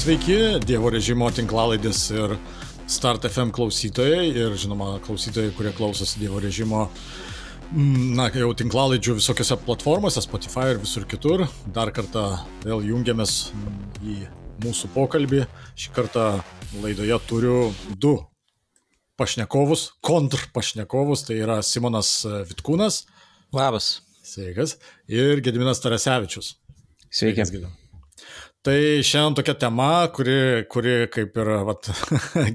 Sveiki, Dievo režimo tinklalaidės ir Start FM klausytojai ir, žinoma, klausytojai, kurie klausosi Dievo režimo jau tinklalaidžių visokiose platformose, Spotify ir visur kitur. Dar kartą vėl jungiamės į mūsų pokalbį. Šį kartą laidoje turiu du pašnekovus, kontrpašnekovus, tai yra Simonas Vitkūnas. Labas. Sveikas. Ir Gediminas Tarasevičius. Sveiki. Tai šiandien tokia tema, kuri kaip ir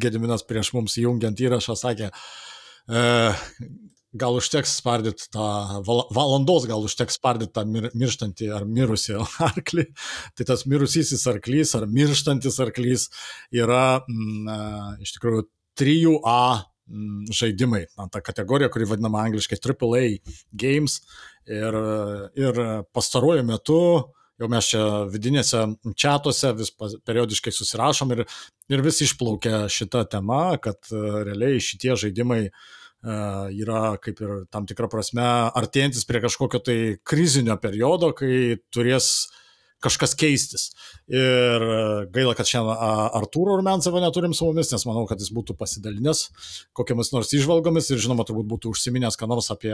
Gediminas prieš mums jungiant įrašą sakė, gal užteks spardyti tą valandos, gal užteks spardyti tą mirštantį ar mirusį arklį. Tai tas mirusysis arklys ar mirštantis arklys yra iš tikrųjų 3A žaidimai. Ta kategorija, kuri vadinama angliškai AAA games ir pastaruoju metu jau mes čia vidinėse čatuose vis periodiškai susirašom ir vis išplaukia šita tema, kad realiai šitie žaidimai yra kaip ir tam tikra prasme artėjantis prie kažkokio tai krizinio periodo, kai turės kažkas keistis. Ir gaila, kad šiandien Artūro Rumiancevą neturim su mumis, nes manau, kad jis būtų pasidalinęs kokiamis nors įžvalgomis ir žinoma, turbūt būtų užsiminęs ką nors apie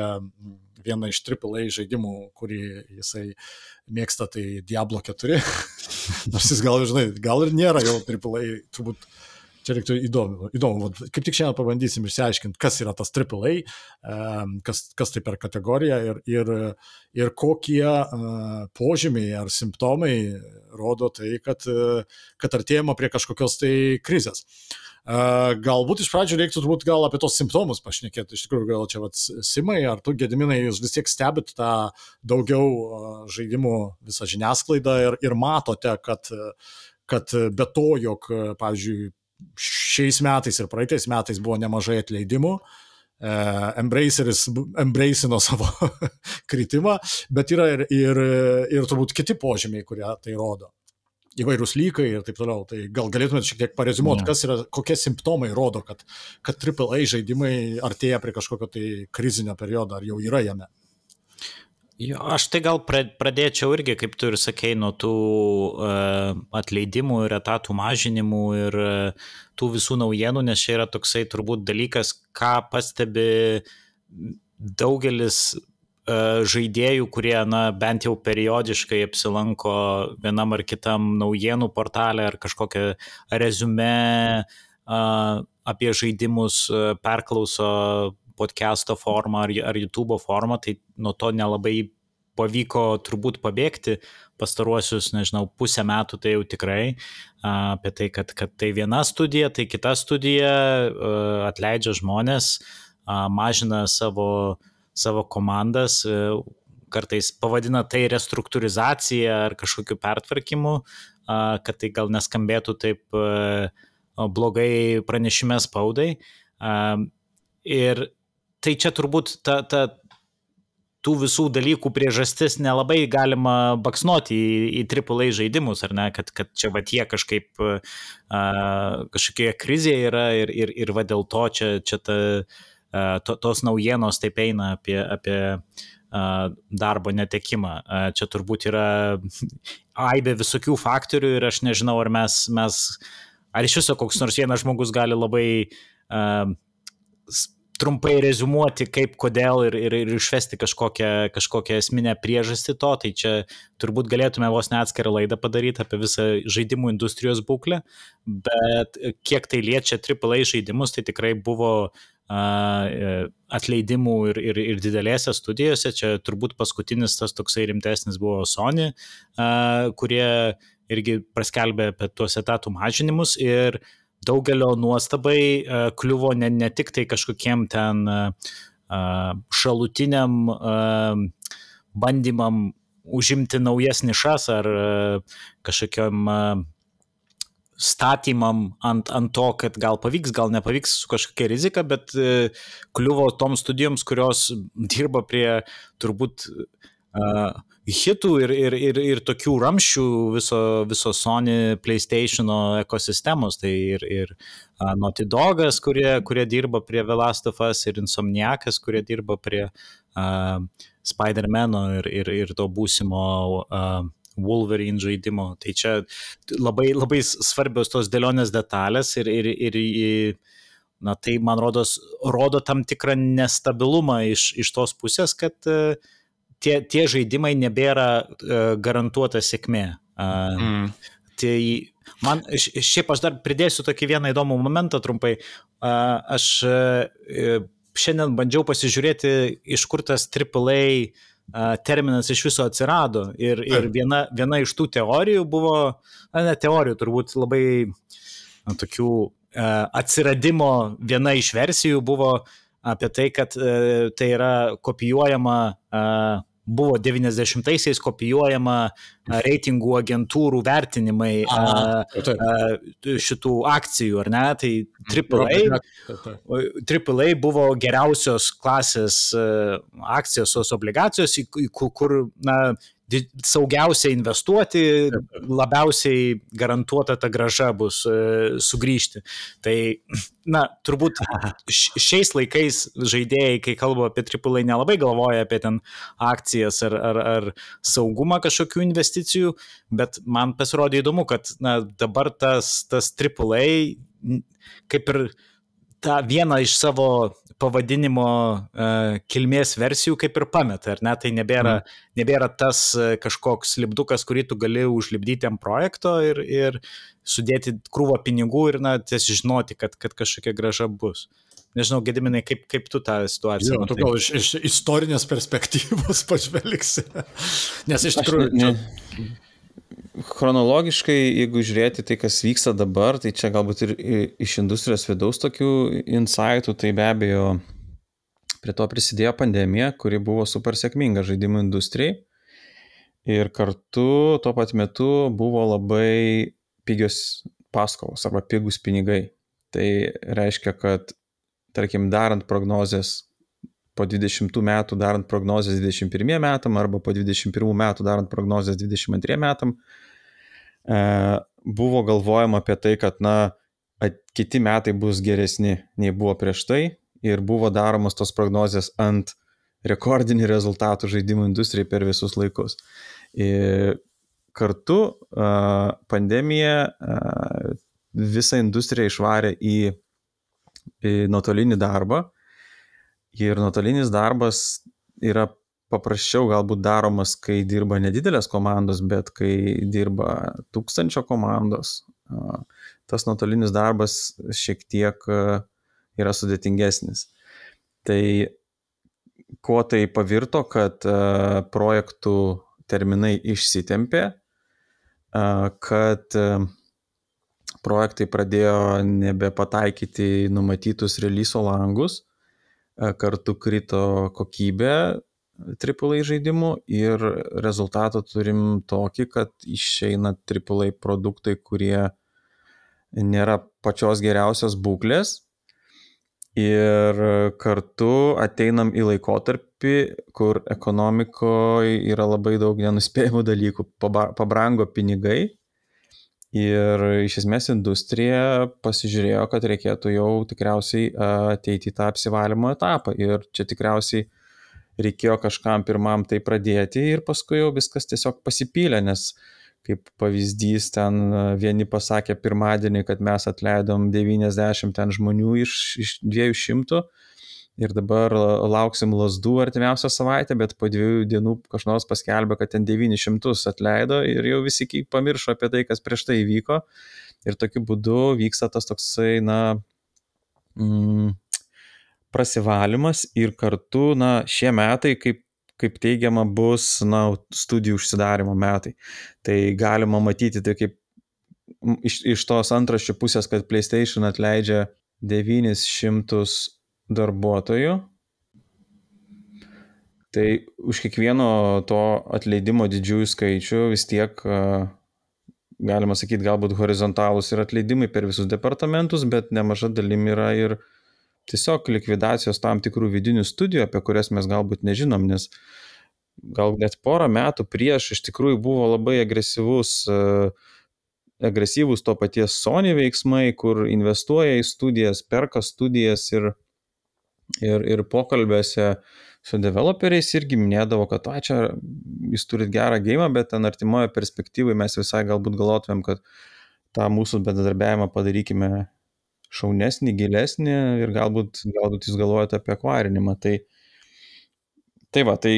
vieną iš AAA žaidimų, kurį jisai mėgsta, tai Diablo 4. Nors jis gal ir nėra jau AAA, turbūt čia reiktų įdomu. Kaip tik šiandien pabandysim išsiaiškinti, kas yra tas AAA, kas tai per kategoriją ir kokie požymiai ar simptomai rodo tai, kad artėjama prie kažkokios tai krizės. Galbūt iš pradžių reiktų turbūt gal apie tos simptomus pašnekėti. Iš tikrųjų, gal čia Simai, ar tu, Gediminai, jūs vis tiek stebit tą daugiau žaidimų visą žiniasklaidą ir matote, kad be to, jog, pavyzdžiui, šiais metais ir praeitais metais buvo nemažai atleidimų, embracino savo kritimą, bet yra ir turbūt kiti požymiai, kurie tai rodo. Įvairūs lykai ir taip toliau. Tai gal galėtumėte šiek tiek pareziumuoti, kokie simptomai rodo, kad AAA žaidimai artėja prie kažkokio tai krizinio periodo, ar jau yra jame? Jo, aš tai gal pradėčiau irgi, kaip tu ir sakei, nuo tų atleidimų ir etatų mažinimų ir tų visų naujienų, nes čia yra toksai turbūt dalykas, ką pastebi daugelis žaidėjų, kurie bent jau periodiškai apsilanko vienam ar kitam naujienų portalę ar kažkokią reziumė apie žaidimus perklauso podcast'o formą ar YouTube'o formą, tai nuo to nelabai pavyko turbūt pabėgti pastaruosius, pusę metų, tai jau tikrai apie tai, kad tai viena studija, tai kita studija atleidžia žmonės, mažina savo komandas, kartais pavadina tai restruktūrizacija ar kažkokiu pertvarkymu, kad tai gal neskambėtų taip blogai pranešime spaudai. Ir tai čia turbūt tų visų dalykų priežastis nelabai galima baksnuoti į AAA žaidimus, ar ne, kad čia jie kažkaip kažkokie krizėje yra ir dėl to čia tos naujienos taip eina apie darbo netekimą. Čia turbūt yra aibė visokių faktorių ir aš nežinau, ar iš viso koks nors vienas žmogus gali labai trumpai reziumuoti, kaip, kodėl ir išvesti kažkokią esminę priežastį to, tai čia turbūt galėtume vos ne atskirą laidą padaryti apie visą žaidimų industrijos būklę, bet kiek tai liečia AAA žaidimus, tai tikrai buvo atleidimų ir didelėse studijose. Čia turbūt paskutinis tas toksai rimtesnis buvo Sony, kurie irgi paskelbė apie tuos etatų mažinimus ir daugelio nuostabai kliuvo ne tik tai kažkokiem ten šalutiniam bandymam užimti naujas nišas ar kažkokiam statymam ant to, kad gal pavyks, gal nepavyks su kažkokia rizika, bet kliuvo toms studijoms, kurios dirba prie turbūt hitų ir tokių ramščių viso Sony PlayStation'o ekosistemos, tai ir Naughty Dogas, kurie dirba prie The Last of Us, ir Insomniacas, kurie dirba prie Spider-Man'o ir to būsimo Wolverine žaidimo. Tai čia labai, labai svarbios tos dėlionės detalės ir na, tai, man rodo tam tikrą nestabilumą iš tos pusės, kad tie žaidimai nebėra garantuota sėkmė. Tai šiaip aš dar pridėsiu tokį vieną įdomų momentą trumpai. Aš šiandien bandžiau pasižiūrėti, iš kur tas AAA terminas iš viso atsirado. Ir viena iš tų teorijų buvo, ne teorijų, turbūt labai tokių atsiradimo viena iš versijų buvo apie tai, kad tai yra kopijuojama, buvo 90-aisiais kopijuojama reitingų agentūrų vertinimai šitų akcijų, ar ne? Tai AAA buvo geriausios klasės akcijos, obligacijos, kur, na, saugiausiai investuoti, labiausiai garantuota ta grąža bus sugrįžti. Tai, na, turbūt šiais laikais žaidėjai, kai kalba apie AAA, nelabai galvoja apie ten akcijas ar saugumą kažkokių investicijų, bet man pasirodė įdomu, kad, na, dabar tas AAA kaip ir tą vieną iš savo pavadinimo kilmės versijų kaip ir pameta, ar ne? Tai nebėra tas kažkoks lipdukas, kurį tu gali užlipdyti ant projekto ir sudėti krūvą pinigų ir, na, tiesiog žinoti, kad kažkokia grąža bus. Nežinau, Gediminai, kaip tu tą situaciją matai? Gal iš istorinės perspektyvos pažvelgsi. Nes iš tikrųjų... Chronologiškai, jeigu žiūrėti tai, kas vyksta dabar, tai čia galbūt ir iš industrijos vidaus tokių insightų, tai be abejo prie to prisidėjo pandemija, kuri buvo super sėkminga žaidimų industrijai ir kartu tuo pat metu buvo labai pigios paskolos arba pigus pinigai. Tai reiškia, kad, tarkim, darant prognozes po 20 metų darant prognozes 21 metam arba po 21 metų darant prognozes 22 metam, buvo galvojama apie tai, kad, na, kiti metai bus geresni nei buvo prieš tai ir buvo daromos tos prognozės ant rekordinių rezultatų žaidimų industrijai per visus laikus. Ir kartu pandemija visą industriją išvarė į nuotolinį darbą. Ir nuotolinis darbas yra paprasčiau galbūt daromas, kai dirba nedidelės komandos, bet kai dirba 1000 komandos, tas nuotolinis darbas šiek tiek yra sudėtingesnis. Tai kuo tai pavirto, kad projektų terminai išsitempė, kad projektai pradėjo nebepataikyti numatytus releaso langus, kartu krito kokybė AAA žaidimų ir rezultatą turim tokį, kad išeina AAA produktai, kurie nėra pačios geriausios būklės ir kartu ateinam į laikotarpį, kur ekonomikoje yra labai daug nenuspėjamų dalykų, pabrango pinigai. Ir iš esmės industrija pasižiūrėjo, kad reikėtų jau tikriausiai ateiti į tą apsivalymo etapą. Ir čia tikriausiai reikėjo kažkam pirmam tai pradėti ir paskui jau viskas tiesiog pasipylė, nes kaip pavyzdys ten vieni pasakė pirmadienį, kad mes atleidom 90 ten žmonių iš 200 ir dabar lauksim lazdų artimiausią savaitę, bet po 2 dienų kažkas paskelbė, kad ten 900 atleido ir jau visi pamiršo apie tai, kas prieš tai įvyko. Ir tokiu būdu vyksta tas toksai, na, prasivalymas ir kartu, na, šie metai, kaip teigiama, bus, na, studijų užsidarimo metai. Tai galima matyti tai kaip iš tos antraščių pusės, kad PlayStation atleidžia 900 darbuotojų, tai už kiekvieno to atleidimo didžiųjų skaičių vis tiek, galima sakyti, galbūt horizontalūs ir atleidimai per visus departamentus, bet nemaža dalim yra ir tiesiog likvidacijos tam tikrų vidinių studijų, apie kurias mes galbūt nežinom, nes gal net porą metų prieš iš tikrųjų buvo labai agresyvūs to paties Sony veiksmai, kur investuoja į studijas, perka studijas ir pokalbėse su developeriais irgi minėdavo, kad čia jūs turit gerą gėjimą, bet ten artimoje perspektyvoje mes visai galbūt galvotumėm, kad tą mūsų bendradarbiavimą padarykime šaunesnį, gilesnį ir galbūt jūs galvojate apie akvarinimą. Tai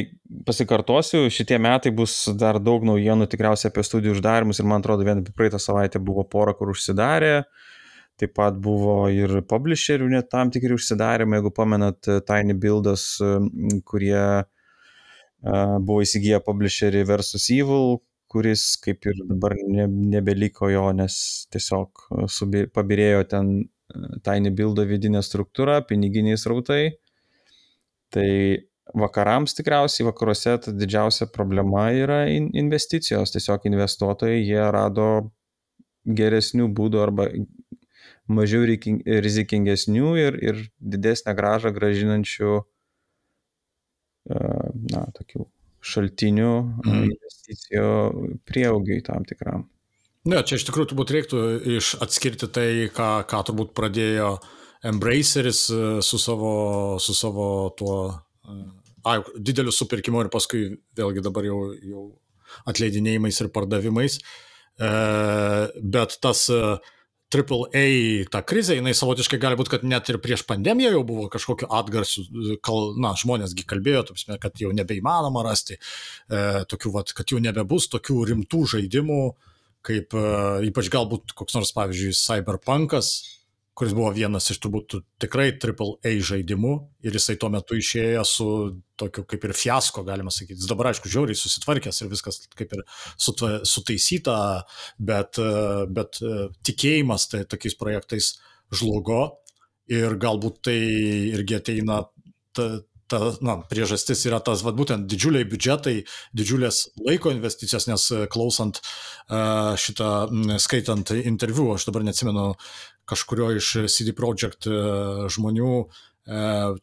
pasikartosiu, šitie metai bus dar daug naujienų tikriausiai apie studijų uždarimus ir man atrodo, vien praeitą savaitę buvo pora, kur užsidarė. Taip pat buvo ir publisherių net tam tikri užsidarymai, jeigu pamenat Tiny Buildas, kurie buvo įsigiję publisherį Versus Evil, kuris kaip ir dabar nebeliko jo, nes tiesiog pabirėjo ten Tiny Buildo vidinė struktūra, piniginiai srautai. Tai vakarams tikriausiai, vakaruose didžiausia problema yra investicijos. Tiesiog investuotojai, jie rado geresnių būdų arba mažiau rizikingesnių ir didesnę grąžą gražinančių tokių šaltinių investicijų prieaugiai tam tikram. Ne, čia iš tikrųjų turbūt reiktų atskirti tai, ką turbūt pradėjo Embraceris su savo tuo dideliu supirkimu ir paskui vėlgi dabar jau atleidinėjimais ir pardavimais. Bet tas AAA, ta krizė, jinai savotiškai gali būti, kad net ir prieš pandemiją jau buvo kažkokiu atgarsiu, žmonėsgi kalbėjo, kad jau nebeįmanoma rasti tokių, kad jau nebebus tokių rimtų žaidimų, kaip ypač galbūt koks nors, pavyzdžiui, Cyberpunkas, kuris buvo vienas iš turbūt tikrai AAA žaidimų ir jisai tuo metu išėjo su tokiu kaip ir fiasko, galima sakyti. Jis dabar, aišku, žiauriai susitvarkęs ir viskas kaip ir sutaisyta, bet tikėjimas tai tokiais projektais žlugo ir galbūt tai irgi ateina priežastis yra tas, būtent didžiuliai biudžetai, didžiulės laiko investicijos, nes klausant skaitant interviu, aš dabar neatsimenu kažkurio iš CD Projekt žmonių,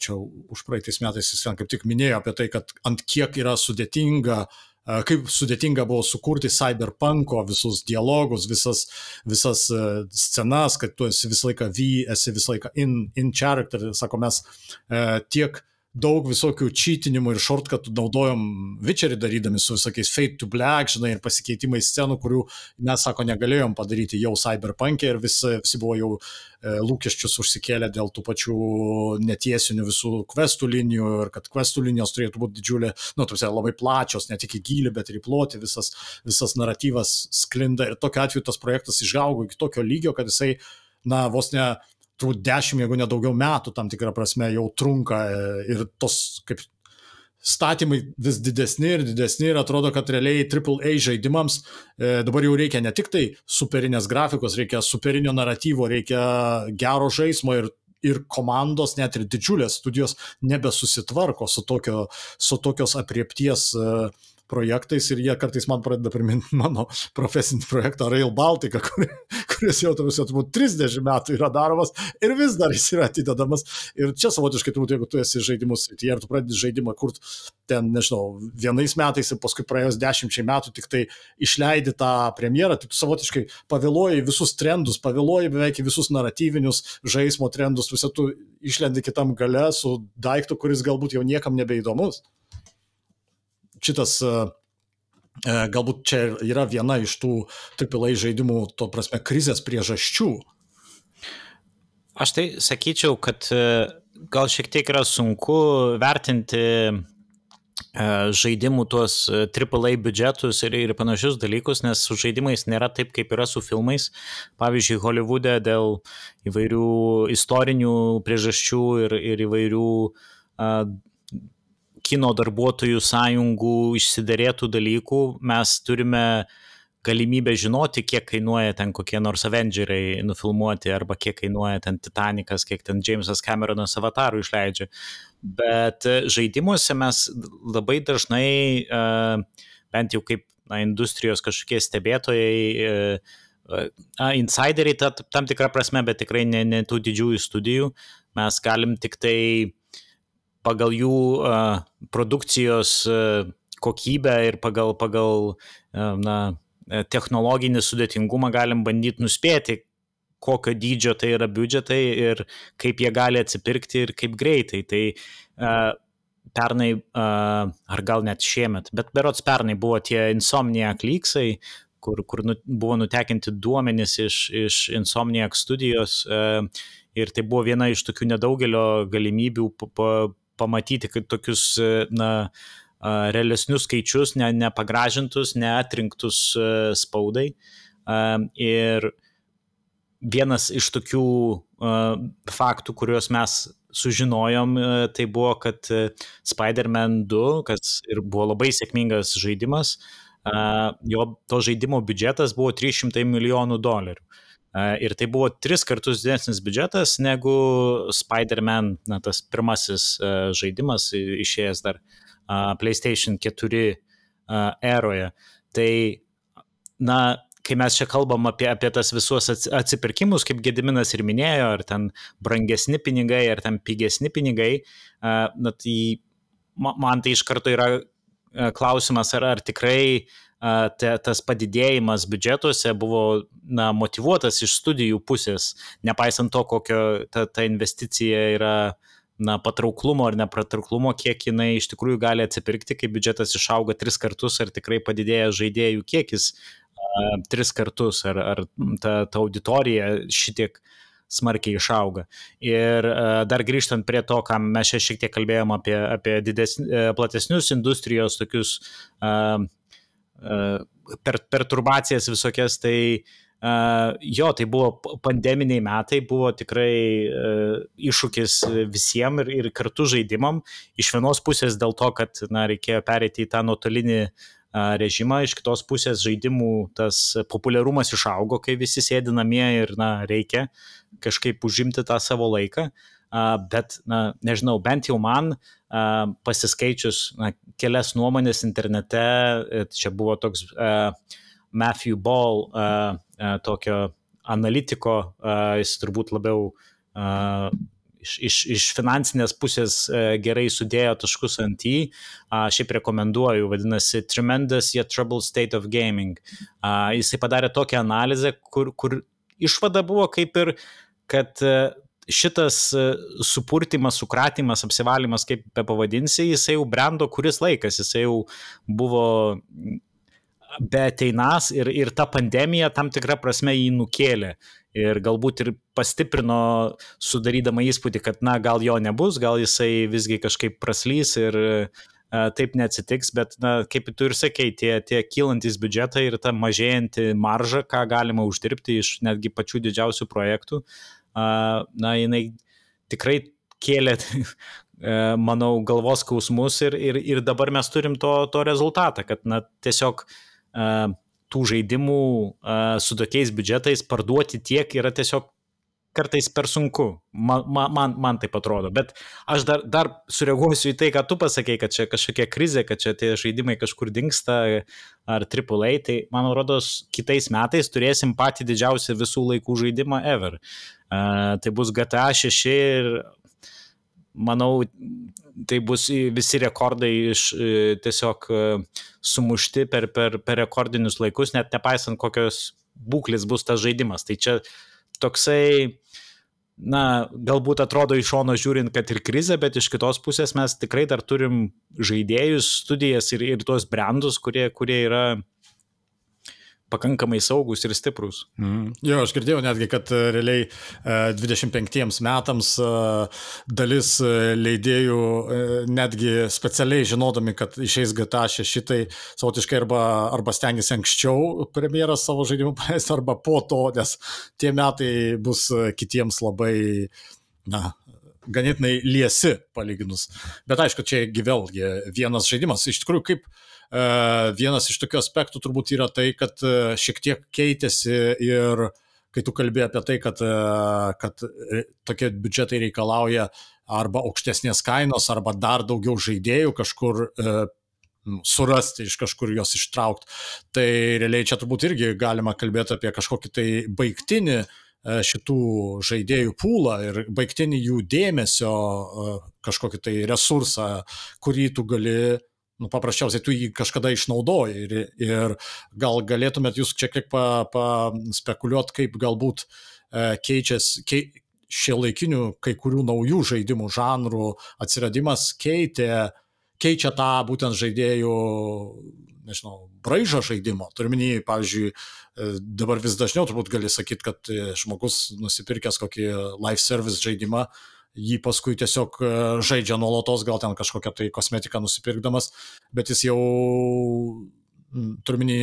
čia už praeitais metais jis kaip tik minėjo apie tai, kad ant kiek yra sudėtinga, kaip sudėtinga buvo sukurti Cyberpunko visus dialogus, visas scenas, kad tu esi visą laiką esi visą laiką in character, sako, mes tiek daug visokių čytinimų ir shortcutų naudojom Witcherį darydami su visokiais Fade to Black, žinai, ir pasikeitimais scenų, kurių mes, sako, negalėjom padaryti jau Cyberpunk'e ir visi buvo jau lūkesčius užsikėlę dėl tų pačių netiesinių visų questų linijų ir kad questų linijos turėtų būti didžiulė, labai plačios, ne tik į gylį, bet ir į plotį, visas naratyvas sklinda ir tokiu atveju tas projektas išaugo iki tokio lygio, kad jisai, vos ne turbūt 10, jeigu nedaugiau metų tam tikrą prasme jau trunka ir tos kaip statymai vis didesni ir atrodo, kad realiai AAA žaidimams dabar jau reikia ne tik tai superinės grafikos, reikia superinio naratyvo, reikia gero žaismo ir komandos, net ir didžiulės studijos nebesusitvarko su tokios apriepties projektais ir jie kartais man pradeda priminti mano profesinį projektą Rail Baltica, kuris jau turbūt 30 metų yra daromas ir vis dar jis yra atidedamas. Ir čia savotiškai turbūt, jeigu tu esi žaidimus srityje ir tu pradedi žaidimą kurti ten, nežinau, vienais metais ir paskui praėjus 10 metų tik tai išleidi tą premjerą, tai tu savotiškai pavėluoji visus trendus, pavėluoji beveik visus naratyvinius žaismo trendus, visą tu išlendi kitam gale su daiktu, kuris galbūt jau niekam nebeįdomus. Šitas galbūt čia yra viena iš tų AAA žaidimų, to prasme, krizės priežasčių. Aš tai sakyčiau, kad gal šiek tiek yra sunku vertinti žaidimų tuos AAA biudžetus ir panašius dalykus, nes su žaidimais nėra taip, kaip yra su filmais. Pavyzdžiui, Holivude dėl įvairių istorinių priežasčių ir įvairių kino darbuotojų sąjungų išsiderėtų dalykų, mes turime galimybę žinoti, kiek kainuoja ten kokie nors Avengeriai nufilmuoti, arba kiek kainuoja ten Titanikas, kiek ten Jamesas Cameronas Avatarų išleidžia. Bet žaidimuose mes labai dažnai, bent jau kaip industrijos kažkokie stebėtojai, insideriai tam tikrą prasme, bet tikrai ne tų didžiųjų studijų, mes galim tik tai pagal jų produkcijos kokybę ir pagal technologinį sudėtingumą galim bandyti nuspėti, kokio dydžio tai yra biudžetai ir kaip jie gali atsipirkti ir kaip greitai. Tai pernai, ar gal net šiemet, bet berods pernai buvo tie Insomniac leaksai, kur buvo nutekinti duomenys iš Insomniac studijos, ir tai buvo viena iš tokių nedaugelio galimybių pamatyti tokius, realesnius skaičius, nepagražintus, neatrinktus spaudai. Ir vienas iš tokių faktų, kuriuos mes sužinojom, tai buvo, kad Spider-Man 2, kas ir buvo labai sėkmingas žaidimas, to žaidimo biudžetas buvo $300 milijonų. Ir tai buvo 3 kartus didesnis biudžetas negu Spider-Man, tas pirmasis žaidimas išėjęs dar PlayStation 4 eroje. Tai, kai mes čia kalbam apie tas visus atsipirkimus, kaip Gediminas ir minėjo, ar ten brangesni pinigai, ar ten pigesni pinigai, tai man tai iš karto yra klausimas, ar tikrai tas padidėjimas biudžetuose buvo motyvuotas iš studijų pusės, nepaisant to, kokio ta investicija yra patrauklumo ar nepatrauklumo, kiek jinai iš tikrųjų gali atsipirkti, kai biudžetas išauga 3 kartus, ar tikrai padidėja žaidėjų kiekis 3 kartus, ar ta auditorija šitiek smarkiai išauga. Ir dar grįžtant prie to, ką mes čia šiek tiek kalbėjom apie platesnius industrijos tokius perturbacijas visokias, tai tai buvo pandeminiai metai, buvo tikrai iššūkis visiems ir kartu žaidimam. Iš vienos pusės dėl to, kad reikėjo pereiti į tą nuotolinį režimą, iš kitos pusės žaidimų tas populiarumas išaugo, kai visi sėdi namie ir reikia kažkaip užimti tą savo laiką, bet, nežinau, bent jau man pasiskaičius kelias nuomonės internete, čia buvo toks Matthew Ball, tokio analitiko, jis turbūt labiau iš finansinės pusės gerai sudėjo taškus ant į, šiaip rekomenduoju, vadinasi Tremendous Yet Troubled State of Gaming. Jisai padarė tokią analizę, kur išvada buvo kaip ir, kad šitas supurtimas, sukratimas, apsivalymas, kaip be pavadinsi, jisai jau brendo kuris laikas, jisai jau buvo beateinas ir ta pandemija tam tikrą prasme jį nukėlė. Ir galbūt ir pastiprino, sudarydama įspūdį, kad gal jo nebus, gal jisai visgi kažkaip praslys ir taip neatsitiks, bet kaip tu ir sakei, tie kylantis biudžetai ir ta mažėjanti marža, ką galima uždirbti iš netgi pačių didžiausių projektų, jinai tikrai kėlė, manau, galvos skausmus ir dabar mes turim to rezultatą, kad tiesiog tų žaidimų su tokiais biudžetais parduoti tiek yra tiesiog kartais per sunku. Man taip atrodo. Bet aš dar sureaguosiu į tai, ką tu pasakei, kad čia kažkokia krizė, kad čia tie žaidimai kažkur dingsta ar AAA, tai man rodos kitais metais turėsim patį didžiausią visų laikų žaidimą ever. Tai bus GTA 6 ir manau, tai bus visi rekordai tiesiog sumušti per rekordinius laikus, net nepaisant kokios būklės bus tas žaidimas. Tai čia toksai, galbūt atrodo iš šono žiūrint, kad ir krizė, bet iš kitos pusės mes tikrai dar turim žaidėjus, studijas ir tuos brandus, kurie yra pakankamai saugus ir stiprus. Jo, aš girdėjau netgi, kad realiai 25 metams dalis leidėjų netgi specialiai žinodami, kad išeis GTA 6, tai savotiškai arba stengiasi anksčiau premjeras savo žaidimų paleisti, arba po to, nes tie metai bus kitiems labai, ganėtinai liesi palyginus. Bet aišku, čia vėlgi vienas žaidimas. Iš tikrųjų, kaip vienas iš tokių aspektų turbūt yra tai, kad šiek tiek keitėsi ir kai tu kalbėjai apie tai, kad tokie biudžetai reikalauja arba aukštesnės kainos, arba dar daugiau žaidėjų kažkur surasti, iš kažkur juos ištraukti. Tai realiai čia turbūt irgi galima kalbėti apie kažkokį tai baigtinį šitų žaidėjų pūlą ir baigtinį jų dėmesio kažkokį tai resursą, kurį tu gali, paprasčiausiai tu jį kažkada išnaudoji ir gal galėtumėt jūs čia kiek paspekuliuoti, kaip galbūt keičiasi šiuolaikinių kai kurių naujų žaidimų žanrų atsiradimas keičia tą būtent žaidėjų, nežinau, braižą žaidimo. Turiminį, pavyzdžiui, dabar vis dažniau turbūt gali sakyti, kad žmogus nusipirkęs kokį live service žaidimą, jį paskui tiesiog žaidžia nuolatos, gal ten kažkokią tai kosmetiką nusipirkdamas, bet jis jau, turiminį,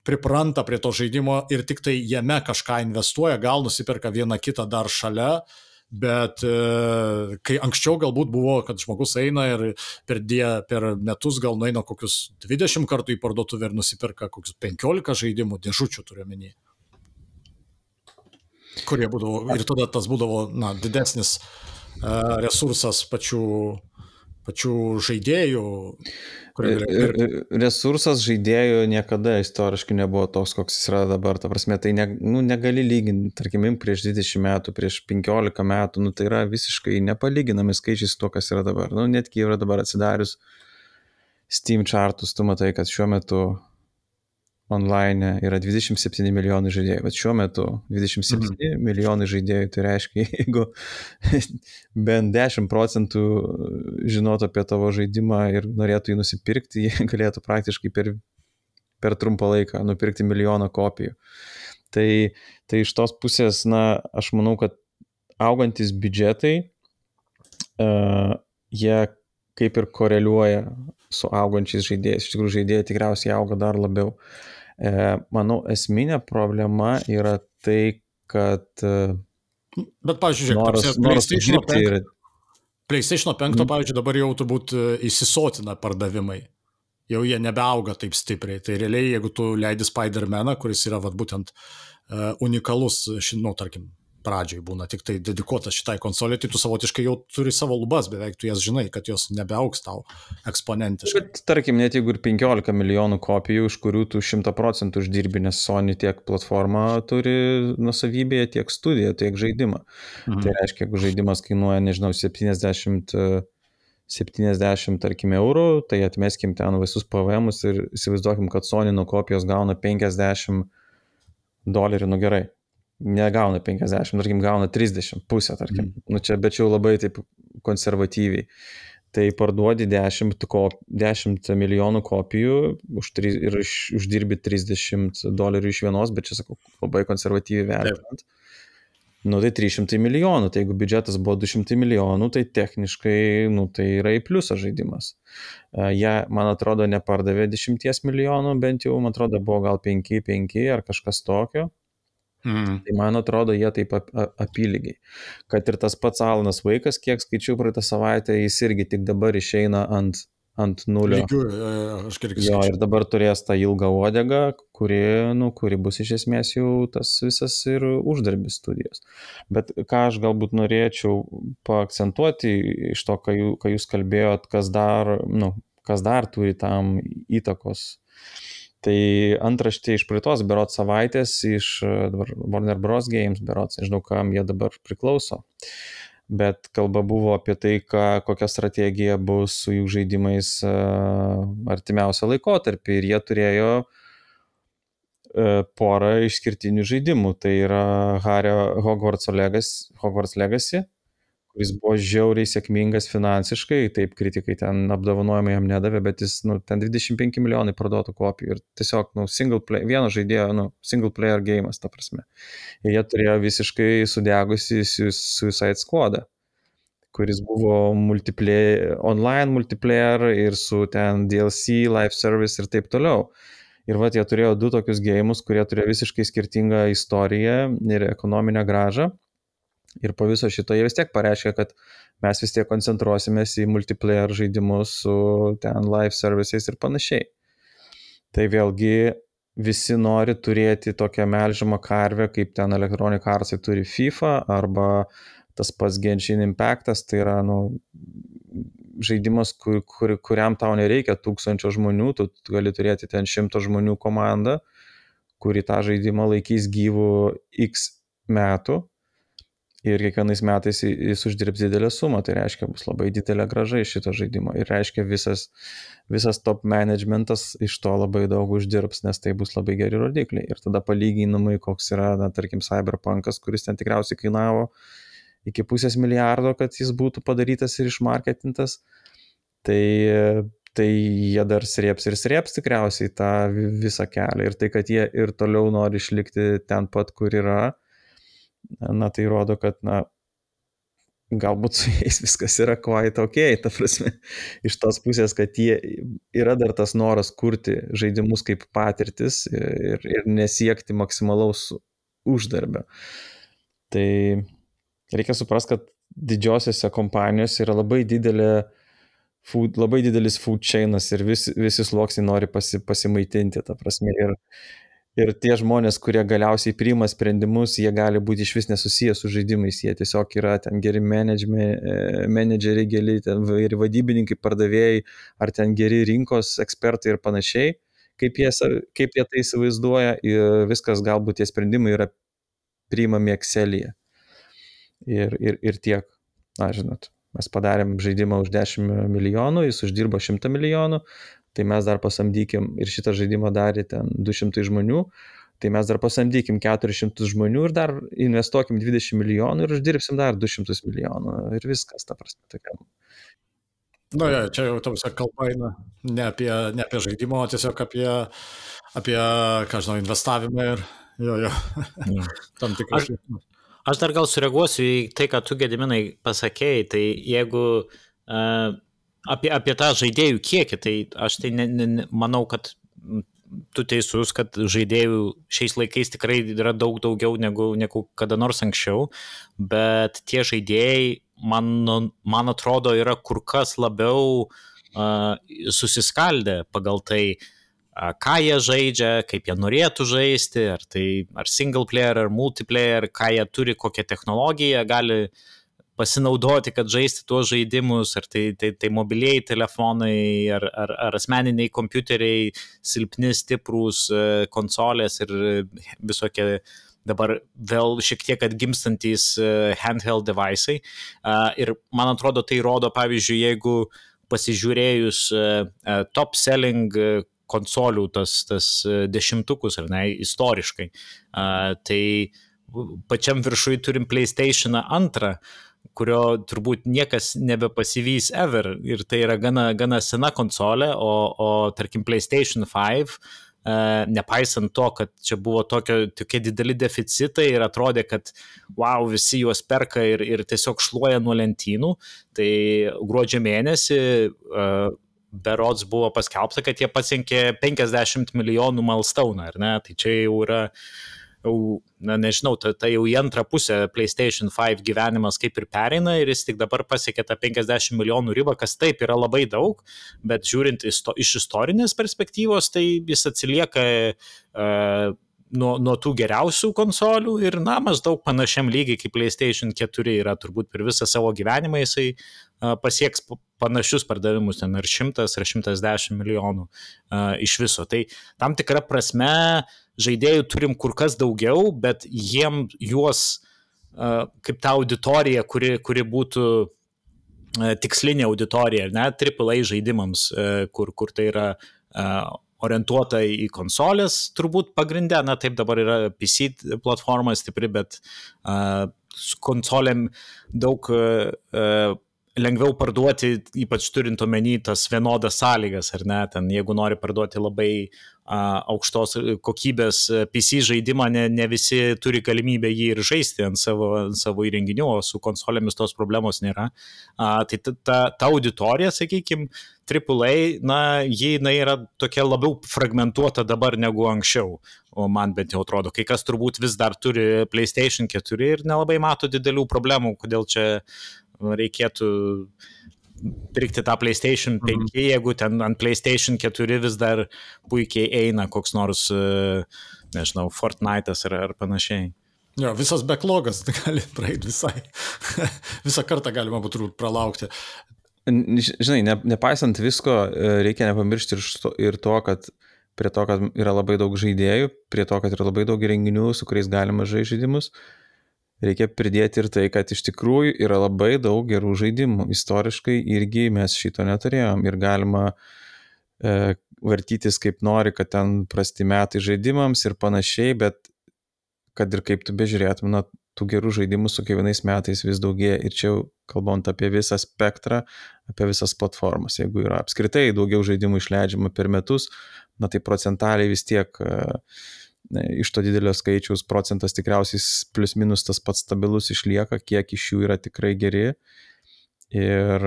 pripranta prie to žaidimo ir tik tai jame kažką investuoja, gal nusipirka vieną kitą dar šalia, bet kai anksčiau galbūt buvo, kad žmogus eina ir per metus gal nueina kokius 20 kartų į parduotuvę ir nusipirka kokius 15 žaidimų, dėžučių turiuomenį, kurie būdavo, ir tada tas būdavo didesnis resursas pačių žaidėjų. Resursas žaidėjų niekada istoriškai nebuvo toks, koks jis yra dabar. Ta prasme, tai negali lyginti, tarkim, prieš 20 metų, prieš 15 metų, tai yra visiškai nepalyginami skaičiai su to, kas yra dabar. Netgi yra dabar atsidarius Steam chartus, tu matai, kad šiuo metu online yra 27 milijonai žaidėjų, bet šiuo metu 27 milijonai žaidėjų, tai reiškia, jeigu bent 10% žinotų apie tavo žaidimą ir norėtų jį nusipirkti, jie galėtų praktiškai per trumpą laiką nupirkti 1 milijoną kopijų. Tai iš tos pusės, aš manau, kad augantis biudžetai, jie kaip ir koreliuoja su augančiais žaidėjais. Iš tikrųjų, žaidėjai tikriausiai auga dar labiau. Manau, esminė problema yra tai, kad bet, pavyzdžiui, PlayStation 5, pavyzdžiui, dabar jau turbūt įsisotina pardavimai. Jau jie nebeauga taip stipriai. Tai realiai, jeigu tu leidi Spider-Maną, kuris yra būtent unikalus, tarkim, pradžioj būna tik tai dedikuotas šitai konsolė, tai tu savotiškai jau turi savo lubas, beveik tu jas žinai, kad jos nebeaugs tau eksponentiškai. Bet tarkim, net jeigu ir 15 milijonų kopijų, iš kurių tu 100% uždirbi, nes Sony tiek platformą turi nusavybėje, tiek studiją, tiek žaidimą. Tai reiškia, jeigu žaidimas kainuoja, nežinau, 70 tarkim eurų, tai atmeskim ten visus PVMus ir įsivaizduokim, kad Sony nuo kopijos gauna $50, gerai. Negauna 50, tarkim, gauna 30, pusę, tarkim. Čia, bet jau labai taip konservatyviai. Tai parduodi 10 milijonų kopijų ir uždirbi $30 iš vienos, bet čia, sakau, labai konservatyviai vertinant. Tai 300 milijonų, tai jeigu biudžetas buvo 200 milijonų, tai techniškai, tai yra į pliusą žaidimas. Jie, man atrodo, nepardavė 10 milijonų, bent jau, man atrodo, buvo gal 5 ar kažkas tokio. Tai man atrodo, jie taip apylygiai. Kad ir tas pats Alanas Wake'as, kiek skaičiau praeitą savaitę, jis irgi tik dabar išeina ant nulio. Jo, ir dabar turės tą ilgą uodegą, kuri bus iš esmės jau tas visas ir uždarbis studijos. Bet ką aš galbūt norėčiau paakcentuoti iš to, ką jūs kalbėjot, kas dar turi tam įtakos. Tai antraštė iš praeitos berods savaitės iš Warner Bros. Games berods, nežinau, kam jie dabar priklauso, bet kalba buvo apie tai, kokia strategija bus su jų žaidimais artimiausią laikotarpį ir jie turėjo porą išskirtinių žaidimų, tai yra Hogwarts Legacy, kuris buvo žiauriai sėkmingas finansiškai, taip kritikai ten apdovanojimai jam nedavė, bet jis, ten 25 milijonai parduotų kopijų ir tiesiog, vieno žaidėjo, single player game'as, ta prasme. Ir jie turėjo visiškai sudegusi Suicide Squadą, kuris buvo online multiplayer ir su ten DLC, live service ir taip toliau. Ir jie turėjo 2 tokius game'us, kurie turėjo visiškai skirtingą istoriją ir ekonominę grąžą. Ir po viso šito jie vis tiek pareiškia, kad mes vis tiek koncentruosimės į multiplayer žaidimus su ten live services ir panašiai. Tai vėlgi visi nori turėti tokią melžiamą karvę, kaip ten Electronic Arts turi FIFA arba tas pats Genshin Impactas, tai yra žaidimas, kuriam tau nereikia 1000 žmonių, tu gali turėti ten 100 žmonių komandą, kuri tą žaidimą laikys gyvų X metų. Ir kiekvienais metais jis uždirbs didelę sumą, tai reiškia, bus labai didelė grąža iš šito žaidimo. Ir reiškia, visas top managementas iš to labai daug uždirbs, nes tai bus labai geri rodikliai. Ir tada palyginimai, koks yra, tarkim, Cyberpunkas, kuris ten tikriausiai kainavo iki $500 milijardo, kad jis būtų padarytas ir išmarketintas. Tai jie dar srėps tikriausiai tą visą kelią. Ir tai, kad jie ir toliau nori išlikti ten pat, kur yra, tai rodo, kad, galbūt su jais viskas yra quite okay, ta prasme, iš tos pusės, kad jie yra dar tas noras kurti žaidimus kaip patirtis ir nesiekti maksimalaus uždarbio. Tai reikia suprasti, kad didžiosiose kompanijose yra labai didelis food chainas ir visi sluoksniai nori pasimaitinti, ta prasme. Ir tie žmonės, kurie galiausiai priima sprendimus, jie gali būti iš vis nesusiję su žaidimais, jie tiesiog yra ten geri menedžeriai, ir vadybininkai, pardavėjai, ar ten geri rinkos ekspertai ir panašiai, kaip jie tai įsivaizduoja, ir viskas galbūt tie sprendimai yra priimami Excel'yje. Ir tiek, žinot. Mes padarėm žaidimą už 10 milijonų, jis uždirbo 100 milijonų, tai mes dar pasamdykim, ir šitą žaidimą darė ten 200 žmonių, tai mes dar pasamdykim 400 žmonių ir dar investuokim 20 milijonų ir uždirbsim dar 200 milijonų ir viskas, ta prasme. Čia jau tamsia kalba eina ne apie žaidimą, o tiesiog apie investavimą ir tam tikras. Aš dar gal sureaguosiu į tai, ką tu, Gediminai, pasakėjai, tai jeigu apie tą žaidėjų kiekį, tai aš tai manau, kad tu teisus, kad žaidėjų šiais laikais tikrai yra daug daugiau negu kada nors anksčiau, bet tie žaidėjai, man atrodo, yra kur kas labiau susiskaldę pagal tai, ką jie žaidžia, kaip jie norėtų žaisti, ar single player, ar multiplayer, ką jie turi, kokią technologiją gali pasinaudoti, kad žaisti tuos žaidimus, ar tai mobilieji telefonai, ar asmeniniai kompiuteriai, silpni, stiprūs konsolės ir visokie dabar vėl šiek tiek atgimstantys handheld device'ai. Ir man atrodo, tai rodo, pavyzdžiui, jeigu pasižiūrėjus top selling konsolių tas dešimtukus, ar ne, istoriškai. Tai pačiam viršui turim PlayStation 2, kurio turbūt niekas nebepasivys ever, ir tai yra gana sena konsolė, o tarkim PlayStation 5, nepaisant to, kad čia buvo tokie dideli deficitai ir atrodė, kad wow, visi juos perka ir tiesiog šluoja nuo lentynų, tai gruodžio mėnesį berods buvo paskelbta, kad jie pasiekė 50 milijonų milestone, ar ne? Tai čia jau yra, nežinau, tai jau į antrą pusę PlayStation 5 gyvenimas kaip ir pereina ir jis tik dabar pasiekė tą 50 milijonų ribą, kas taip yra labai daug, bet žiūrint iš istorinės perspektyvos, tai jis atsilieka nuo tų geriausių konsolių ir, maždaug panašiam lygiai kaip PlayStation 4 yra turbūt per visą savo gyvenimą, jisai pasieks panašius pardavimus, ten ar 100 ar 110 milijonų iš viso. Tai tam tikra prasme žaidėjų turim kur kas daugiau, bet juos kaip ta auditorija, kuri būtų tikslinė auditorija, ne, AAA žaidimams, kur tai yra orientuota į konsolės, turbūt pagrindė, taip dabar yra PC platforma stipri, bet konsolėm daug lengviau parduoti, ypač turint omeny tas vienodas sąlygas, ar ne, ten jeigu nori parduoti labai aukštos kokybės PC žaidimą, ne visi turi galimybę jį ir žaisti ant savo įrenginių, o su konsolėmis tos problemos nėra. Tai ta auditorija, sakykime, AAA, ji yra tokia labiau fragmentuota dabar negu anksčiau, o man bent jau atrodo, kai kas turbūt vis dar turi PlayStation 4 ir nelabai mato didelių problemų, kodėl čia reikėtų pirkti tą PlayStation 5, jeigu ten ant PlayStation 4 vis dar puikiai eina koks nors, nežinau, Fortnite'as ar panašiai. Jo, visas backlogas gali praeiti visai. Visą kartą galima būtų pralaukti. Žinai, nepaisant visko, reikia nepamiršti ir to, kad prie to, kad yra labai daug žaidėjų, prie to, kad yra labai daug renginių, su kuriais galima žaisti žaidimus, reikia pridėti ir tai, kad iš tikrųjų yra labai daug gerų žaidimų. Istoriškai irgi mes šito neturėjom ir galima vartytis kaip nori, kad ten prasti metai žaidimams ir panašiai, bet kad ir kaip tu bežiūrėtum, tų gerų žaidimų su kiekvienais metais vis daugėja ir čia jau kalbant apie visą spektrą, apie visas platformas. Jeigu yra apskritai daugiau žaidimų išleidžiama per metus, na tai procentaliai vis tiek iš to didelio skaičiaus procentas tikriausiai plus minus tas pats stabilus išlieka, kiek iš jų yra tikrai geri. Ir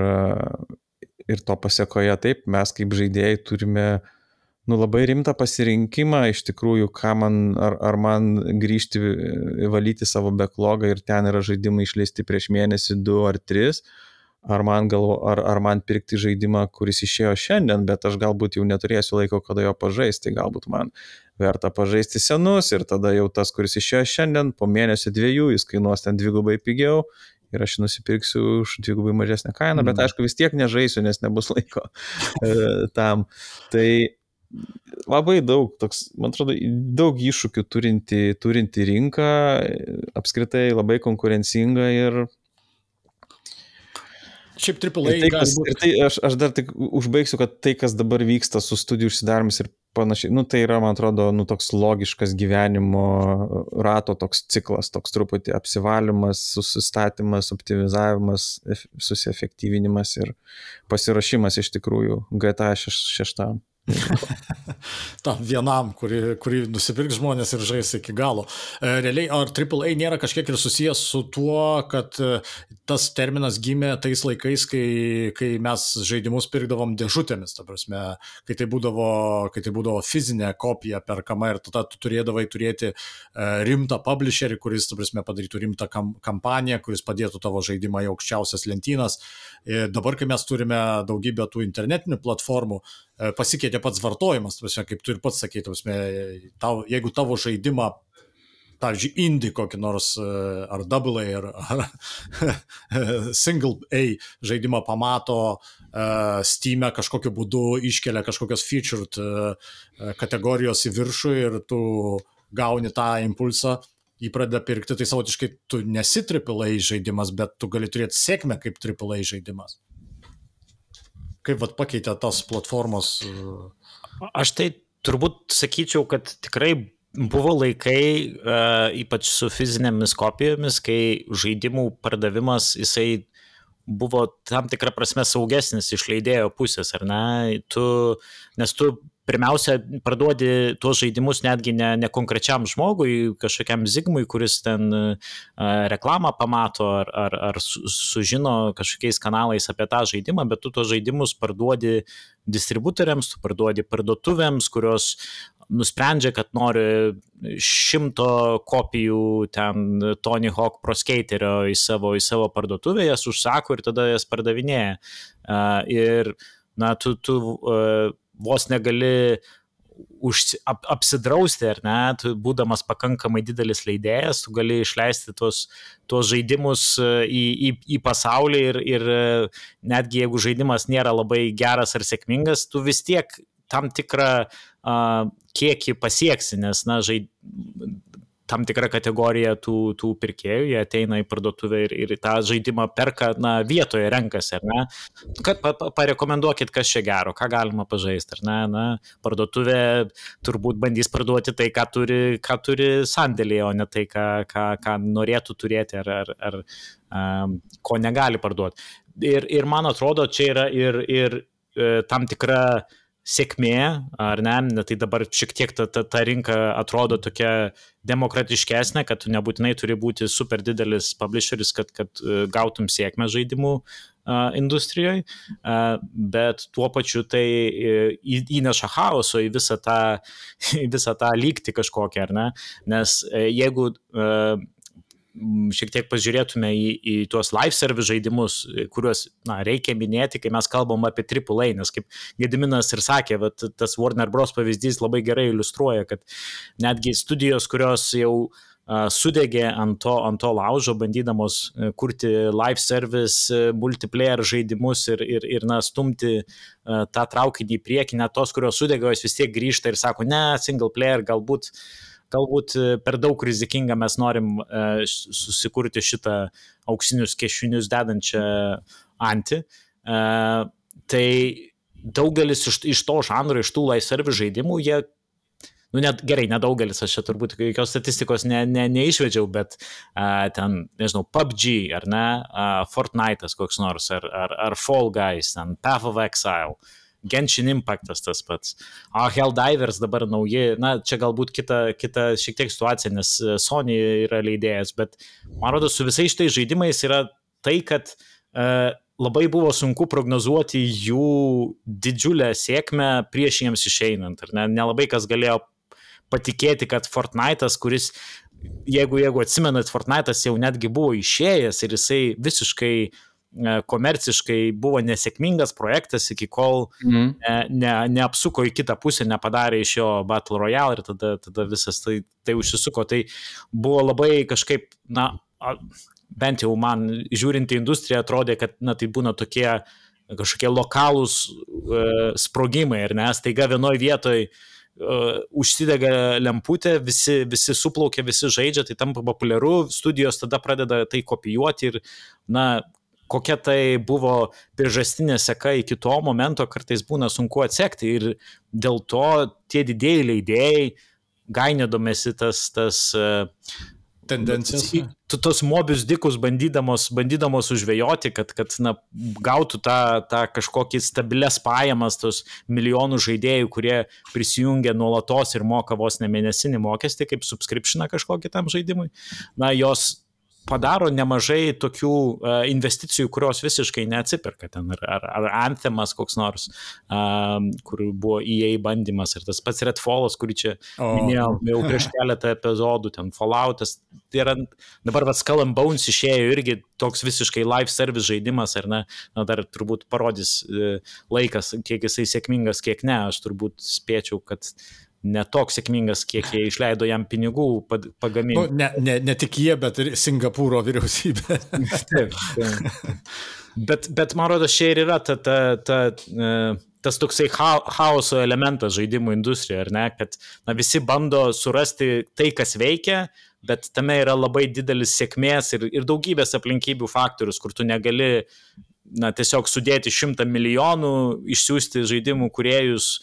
to pasiekoje taip, mes kaip žaidėjai turime labai rimtą pasirinkimą iš tikrųjų, ar man grįžti valyti savo backlogą ir ten yra žaidimai išleisti prieš mėnesį, 2 ar 3, ar man pirkti žaidimą, kuris išėjo šiandien, bet aš galbūt jau neturėsiu laiko, kada jo pažaisti, galbūt man verta pažaisti senus ir tada jau tas, kuris išėjo šiandien, po mėnesio 2 jis kainuos ten 2 pigiau ir aš nusipirksiu už 2 mažesnę kainą, bet aišku vis tiek nežaisiu, nes nebus laiko tam. Tai labai daug, man atrodo, daug iššūkių turinti rinka, apskritai labai konkurencinga ir šiaip AAA aš dar tik užbaigsiu, kad tai, kas dabar vyksta su studijų užsidarimis ir panašiai, tai yra, man atrodo, toks logiškas gyvenimo rato toks ciklas, toks truputį apsivalymas, susistatymas, optimizavimas, susiefektyvinimas ir pasiruošimas iš tikrųjų GTA 6. Vienam, kurį nusipirks žmonės ir žais iki galo. Realiai, ar AAA nėra kažkiek ir susijęs su tuo, kad tas terminas gimė tais laikais, kai mes žaidimus pirkdavom dėžutėmis, ta prasme, kai tai būdavo fizinė kopija perkama ir tada tu turėdavai turėti rimtą publisherį, kuris, ta prasme, padarytų rimtą kampaniją, kuris padėtų tavo žaidimą į aukščiausias lentynas. Dabar, kai mes turime daugybę tų internetinių platformų, pasikeitė pats vartojimas, kaip tu ir pats sakei, jeigu tavo žaidimą, pavyzdžiui, indie kokį nors, ar double A, ar single A žaidimą pamato Steam'e kažkokiu būdu, iškelia kažkokios featured kategorijos į viršų ir tu gauni tą impulsą, jį pradeda pirkti, tai savotiškai tu nesi AAA žaidimas, bet tu gali turėti sėkmę kaip AAA žaidimas. Kaip pakeitė tas platformos? Aš tai turbūt sakyčiau, kad tikrai buvo laikai, ypač su fizinėmis kopijomis, kai žaidimų pardavimas, jisai buvo tam tikrą prasme saugesnis iš leidėjo pusės, ar ne? Nes tu pirmiausia parduodi tuos žaidimus netgi ne konkrečiam žmogui, kažkokiam zigmui, kuris ten reklamą pamato ar sužino kažkokiais kanalais apie tą žaidimą, bet tu tuos žaidimus parduodi distributoriams, tu parduodi parduotuvėms, kurios nusprendžia, kad nori 100 kopijų ten Tony Hawk Pro Skaterio į savo parduotuvę, jas užsako ir tada jas pardavinėja. Ir tu vos negali apsidrausti, ar ne, tu būdamas pakankamai didelis leidėjas, tu gali išleisti tuos žaidimus į pasaulį ir netgi jeigu žaidimas nėra labai geras ar sėkmingas, tu vis tiek tam tikrą kiekį pasieksi, nes tam tikra kategorija tų pirkėjų, jie ateina į parduotuvę ir tą žaidimą perka, vietoje renkasi, ar ne? Kad parekomenduokit, kas čia gero, ką galima pažaisti, ar ne? Parduotuvė turbūt bandys parduoti tai, ką turi sandėlyje, o ne tai, ką norėtų turėti ar ko negali parduoti. Ir man atrodo, čia yra ir tam tikra sėkmė, ar ne, tai dabar šiek tiek ta rinka atrodo tokia demokratiškesnė, kad tu nebūtinai turi būti super didelis publisheris, kad gautum sėkmę žaidimų industrijoje, bet tuo pačiu tai įneša chaoso į visą tą lygtį kažkokią, ar ne, nes jeigu šiek tiek pažiūrėtume į tuos live service žaidimus, kuriuos reikia minėti, kai mes kalbam apie AAA, nes kaip Gediminas ir sakė, tas Warner Bros. Pavyzdys labai gerai iliustruoja, kad netgi studijos, kurios jau sudegė ant to laužo, bandydamos kurti live service, multiplayer žaidimus ir stumti tą traukinį į priekį, net tos, kurios sudegė, jos vis tiek grįžta ir sako, ne, single player galbūt per daug rizikinga, mes norim susikurti šitą auksinius kiaušinius dedančią antį. Tai daugelis iš to žanro, iš tų live service žaidimų, jie nu net gerai, nedaugelis, aš čia turbūt jokios statistikos neišvedžiau, bet ten, nežinau, PUBG, ar ne, Fortnite'as koks nors, ar Fall Guys, ten Path of Exile, Genshin Impact'as tas pats, Helldivers dabar nauji, na, čia galbūt kita šiek tiek situacija, nes Sony yra leidėjas, bet man rodo, su visais šitais žaidimais yra tai, kad labai buvo sunku prognozuoti jų didžiulę sėkmę prieš jiems išeinant, ar ne? Nelabai kas galėjo patikėti, kad Fortnite'as, kuris, jeigu atsimenat, Fortnite'as jau netgi buvo išėjęs ir jisai visiškai komerciškai buvo nesėkmingas projektas, iki kol neapsuko į kitą pusę, nepadarė iš jo Battle Royale ir tada visas tai užsisuko. Tai buvo labai kažkaip, na, bent jau man žiūrint į industriją atrodė, kad na, tai būna tokie kažkokie lokalūs sprogimai, ir nes taiga vienoj vietoj užsidega lemputė, visi suplaukia, visi žaidžia, tai tampa populiaru, studijos tada pradeda tai kopijuoti ir, na, kokia tai buvo priežastinė seka iki to momento, kartais būna sunku atsekti ir dėl to tie didėjai leidėjai gainėdomėsi tas tendencijas. Tos mobius dikus bandydamos užvejoti, kad na, gautų tą kažkokį stabilias pajamas, tos milijonų žaidėjų, kurie prisijungia nuolatos ir moka vos ne mėnesinį mokestį, kaip subscriptioną kažkokį tam žaidimui. Na, jos padaro nemažai tokių investicijų, kurios visiškai neatsiperka ten, ar Anthemas koks nors, kur buvo EA bandymas, ir tas pats Redfallas, kurį čia minėjau jau prieš keletą epizodų, ten Falloutas, tai yra, dabar Skull and Bones išėjo irgi toks visiškai live service žaidimas, ar ne, na, dar turbūt parodys laikas, kiek jisai sėkmingas, kiek ne, aš turbūt spėčiau, kad ne toks sėkmingas, kiek jie išleido jam pinigų pagaminti. Nu, ne tik jie, bet ir Singapūro vyriausybė. Taip. Bet man rodo, čia ir yra tas toksai chaoso elementas žaidimų industrijoje, ar ne, kad na, visi bando surasti tai, kas veikia, bet tame yra labai didelis sėkmės ir daugybės aplinkybių faktorius, kur tu negali na, tiesiog sudėti 100 milijonų, išsiųsti žaidimų kūrėjus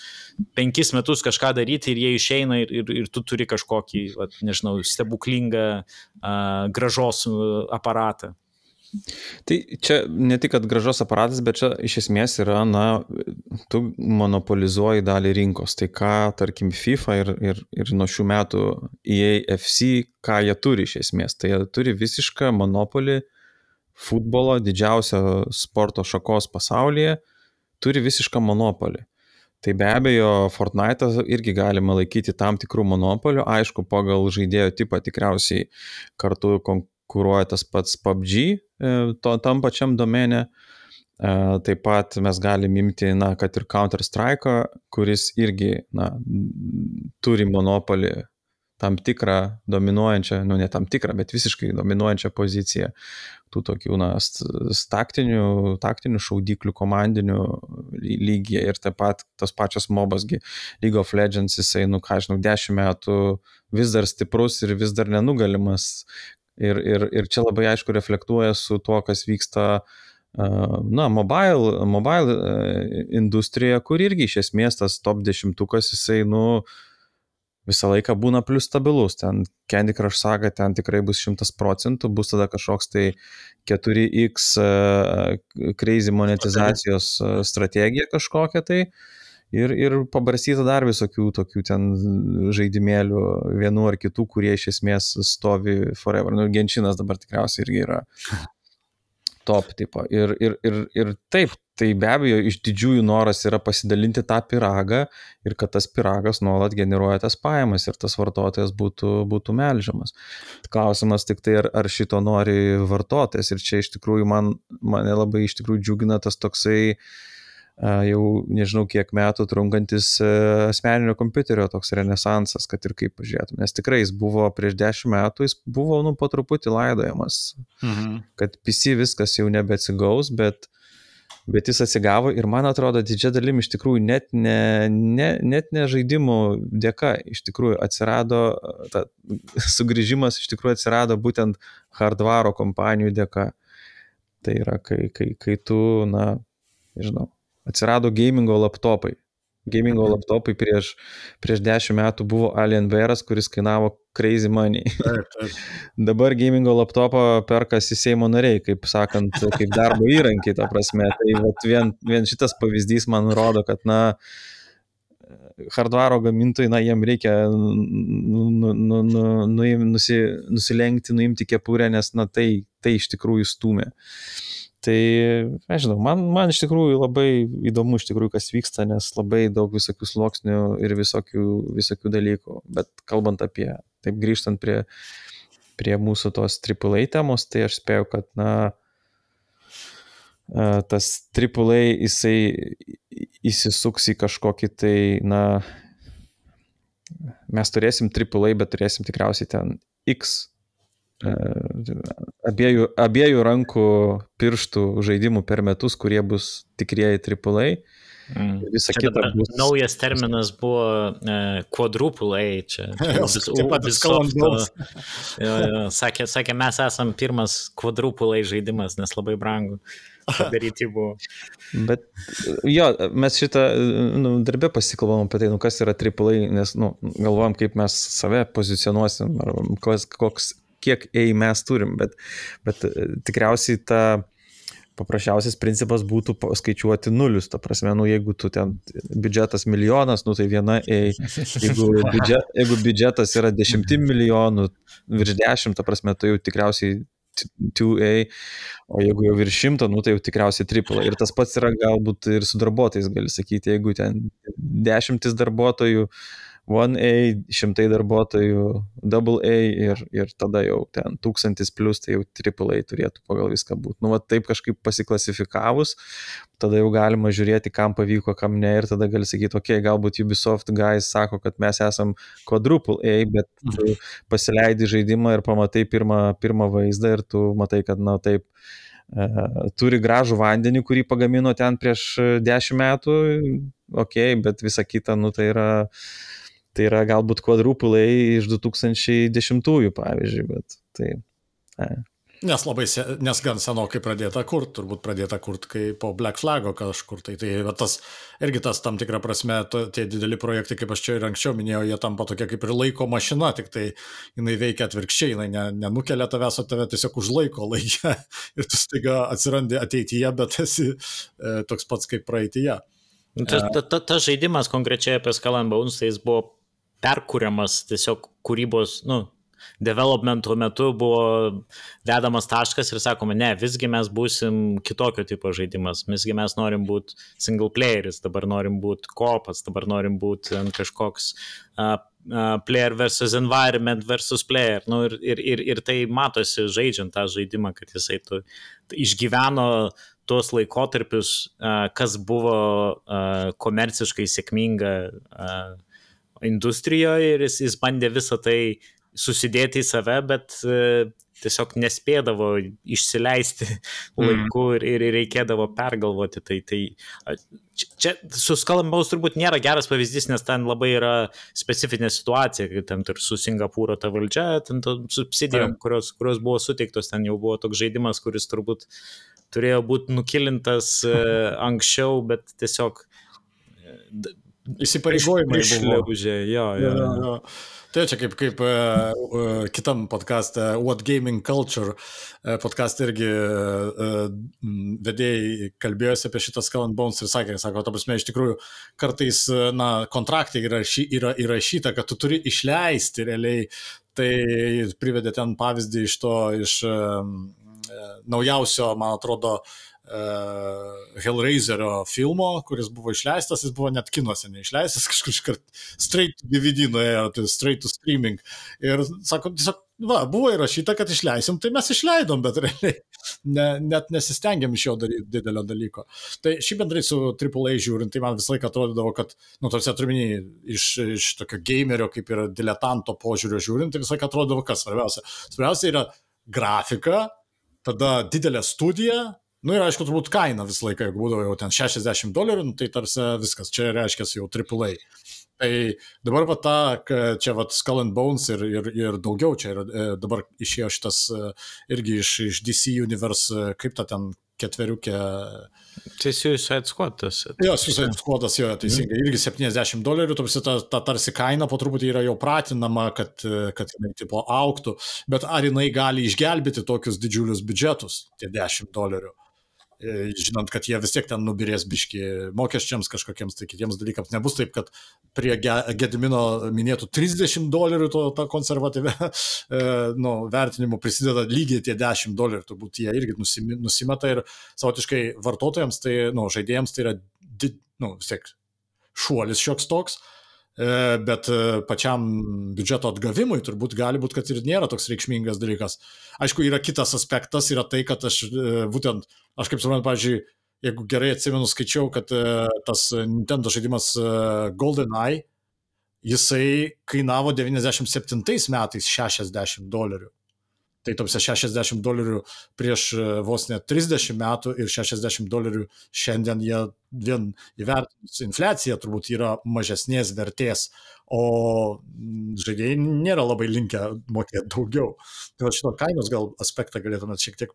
5 metus kažką daryti ir jie išeina ir tu turi kažkokį, nežinau, stebuklingą grąžos aparatą. Tai čia ne tik, kad grąžos aparatas, bet čia iš esmės yra, na, tu monopolizuoji dalį rinkos. Tai ką, tarkim, FIFA ir nuo šių metų EAFC, ką jie turi iš esmės? Tai jie turi visišką monopolį futbolo, didžiausio sporto šakos pasaulyje, turi visišką monopolį. Tai be abejo, Fortnite'ą irgi galima laikyti tam tikrų monopolių, aišku, pagal žaidėjo tipą tikriausiai kartu konkuruoja tas pats PUBG tam pačiam domene. Taip pat mes galim imti, na, kad ir Counter-Strike'ą, kuris irgi, na, turi monopolį tam tikrą dominuojančią, nu ne tam tikrą, bet visiškai dominuojančią poziciją tų tokių, na, taktinių šaudiklių komandinių lygyje ir taip pat tos pačios mobasgi League of Legends, jisai, nu ką žinau, 10 metų vis dar stiprus ir vis dar nenugalimas ir čia labai aišku reflektuoja su tuo, kas vyksta na, mobile industrija, kur irgi iš esmės tas top 10-ukas, jisai, nu, visą laiką būna plius stabilus, ten Candy Crush Saga ten tikrai bus 100%, bus tada kažkoks tai 4x crazy monetizacijos strategija kažkokia tai ir pabarstyta dar visokių tokių ten žaidimėlių vienų ar kitų, kurie iš esmės stovi forever. Nu, Genshinas dabar tikriausiai irgi yra top tipo. Ir taip, tai be abejo iš didžiųjų noras yra pasidalinti tą pyragą ir kad tas pyragas nuolat generuoja tas pajamas ir tas vartotojas būtų melžiamas. Klausimas tik tai, ar šito nori vartotojas ir čia iš tikrųjų mane labai iš tikrųjų džiugina tas toksai jau nežinau kiek metų trunkantis asmeninio kompiuterio toks renesansas, kad ir kaip pažiūrėtum, nes tikrai jis buvo prieš 10 metų, jis buvo po truputį laidojamas, kad PC viskas jau nebeatsigaus, bet jis atsigavo ir man atrodo didžia dalim iš tikrųjų net ne žaidimų dėka, iš tikrųjų atsirado, sugrįžimas iš tikrųjų atsirado būtent hardvaro kompanijų dėka. Tai yra, kai tu, na, nežinau, atsirado gamingo laptopai. gamingo laptopai prieš 10 metų buvo Alienware'as, kuris kainavo crazy money. Taip. Dabar gamingo laptopą perkasi Seimo nariai, kaip sakant, kaip darbo įrankiai, ta prasme. Tai vat vien šitas pavyzdys man rodo, kad, hardvaro gamintojai, jiem reikia nusilenkti, nuimti kepurę, nes, tai iš tikrųjų stūmė. Tai, nežinau, man iš tikrųjų labai įdomu, iš tikrųjų, kas vyksta, nes labai daug visokių sluoksnių ir visokių dalykų. Bet kalbant apie, taip grįžtant prie mūsų tos AAA temos, tai aš spėjau, kad, tas AAA jisai įsisuks į kažkokį tai, mes turėsim AAA, bet turėsim tikriausiai ten X abiejų rankų pirštų žaidimų per metus, kurie bus tikrieji AAA. Visa kita bus... Naujas terminas buvo quadruple A, čia sakė, mes esam pirmas quadruple A žaidimas, nes labai brangu padaryti buvo. Bet jo, mes šitą darbę pasikalbam apie tai, kas yra AAA, nes galvojam, kaip mes save pozicionuosim, ar kiek A mes turim, bet tikriausiai paprasčiausias principas būtų skaičiuoti nulius, ta prasme, jeigu tu ten biudžetas milijonas, tai viena A, jeigu biudžetas yra 10 milijonų, virš 10, ta prasme, tai jau tikriausiai 2A, o jeigu jau virš 100, tai jau tikriausiai AAA. Ir tas pats yra galbūt ir su darbuotojais, gali sakyti, jeigu ten 10 darbuotojų, 1A, 100 darbuotojų, AA ir tada jau ten 1000 plus, tai jau AAA turėtų pagal viską būti. Taip kažkaip pasiklasifikavus, tada jau galima žiūrėti, kam pavyko, kam ne, ir tada gali sakyti, galbūt Ubisoft guys sako, kad mes esam quadruple A, bet tu pasileidi žaidimą ir pamatai pirmą vaizdą ir tu matai, kad, taip, turi gražų vandenį, kurį pagamino ten prieš 10 metų, bet visa kita, tai yra galbūt quadruple A iš 2010-ųjų, pavyzdžiui, bet tai... Nes gan senokai pradėta kurt, turbūt pradėta kurt kai po Black Flago kažkur, tai tas tam tikrą prasme, tie dideli projektai, kaip aš čia ir anksčiau minėjau, jie tampa tokia kaip ir laiko mašina, tik tai jinai veikia atvirkščiai, jinai nenukelia tavęs, o tave tiesiog užlaiko laikę ir tu staiga atsirandi ateityje, bet esi toks pats kaip praeityje. Tas žaidimas konkrečiai apie Skull and Bones, tai jis buvo perkuriamas tiesiog kūrybos, developmento metu buvo dedamas taškas ir sakome, ne, visgi mes būsim kitokio tipo žaidimas, visgi mes norim būti single playeris, dabar norim būti co-opas, dabar norim būti kažkoks player versus environment versus player, ir tai matosi žaidžiant tą žaidimą, kad jisai išgyveno tuos laikotarpius, kas buvo komerciškai sėkminga industrijoje ir jis bandė visą tai susidėti į save, bet tiesiog nespėdavo išsileisti laiku ir reikėdavo pergalvoti. Tai čia su Skull and Bones turbūt nėra geras pavyzdys, nes ten labai yra specifinė situacija, kaip ten ir su Singapūro ta valdžia, ten subsidijom, kurios buvo suteiktos, ten jau buvo toks žaidimas, kuris turbūt turėjo būti nukilintas anksčiau, bet tiesiog įsipareigojimai išlaužė, jo. Tai čia kaip kitam podcaste What Gaming Culture podcast irgi vedėjai kalbėjosi apie šitą Skull and Bones ir sako, ta prasme, iš tikrųjų kartais kontraktai yra įrašyta, kad tu turi išleisti realiai, tai privedė ten pavyzdį iš naujausio, man atrodo, Hellraiserio filmo, kuris buvo išleistas, jis buvo net kinuose neišleistas, kažkur iškart straight to DVD nuėjo, straight to streaming. Ir sako, tiesiog, buvo įrašyta, kad išleisim, tai mes išleidom, bet realiai net nesistengiam iš jo daryti didelio dalyko. Tai šį bendrai su AAA žiūrint, tai man visą laiką atrodydavo, kad, tarsi atruminiai iš tokio gamerio, kaip yra diletanto požiūrio žiūrint, tai visą laiką atrodydavo, kas svarbiausia. Svarbiausia yra grafika, tada didelė studija, ir aišku, turbūt kaina visą laiką, jeigu būdavo jau ten $60, tai tarsi viskas, čia reiškia jau AAA. Tai dabar čia Skull and Bones ir daugiau čia dabar išėjo šitas irgi iš DC Universe, kaip ta ten ketveriukė. Tai Suicide Squadas. Jo, Suicide Squadas, jo, teisingai, irgi $70, ta tarsi kaina po truputį yra jau pratinama, kad jinai tipo auktų, bet ar jinai gali išgelbėti tokius didžiulius biudžetus, tie $10? Žinant, kad jie vis tiek ten nubirės biški mokesčiams kažkokiems, tai kitiems dalykams. Nebus taip, kad prie Gedimino minėtų $30 tą konservatyvę vertinimu prisideda lygiai tie $10, turbūt jie irgi nusimeta ir savotiškai vartotojams, tai, žaidėjams tai yra vis tiek šuolis šioks toks, bet pačiam biudžeto atgavimui turbūt gali būti, kad ir nėra toks reikšmingas dalykas. Aišku, yra kitas aspektas, yra tai, kad aš kaip suprantu, pavyzdžiui, jeigu gerai atsimenu, skaičiau, kad tas Nintendo žaidimas GoldenEye, jisai kainavo 97 metais $60. Tai topsia $60 prieš vos net 30 metų ir $60 šiandien jie vien įvertinus infliaciją turbūt yra mažesnės vertės, o žaidėjai nėra labai linkę mokėti daugiau. Tai šito kainos gal aspektą galėtumėt šiek tiek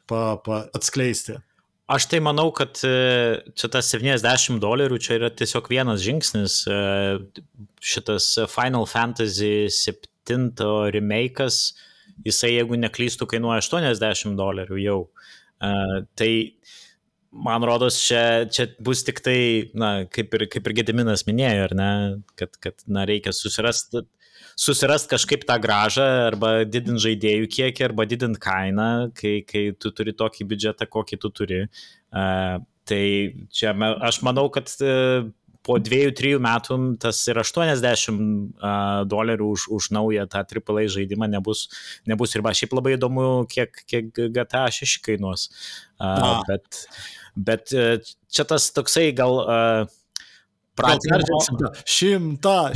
atskleisti. Aš tai manau, kad čia tas $70 čia yra tiesiog vienas žingsnis. Šitas Final Fantasy 7 remake'as, jisai, jeigu neklystų, kainuoja $80 jau. Tai, man rodos, čia bus tik tai, kaip ir Gediminas minėjo, ar ne, kad reikia susirast kažkaip tą grąžą, arba didint žaidėjų kiekį, arba didint kainą, kai tu turi tokį biudžetą, kokį tu turi. Tai čia aš manau, kad po 2-3 metų tas ir $80 už naują tą AAA žaidimą nebus riba. Šiaip labai įdomu, kiek GTA 6 kainuos. Bet čia tas toksai gal pratinimo. 100.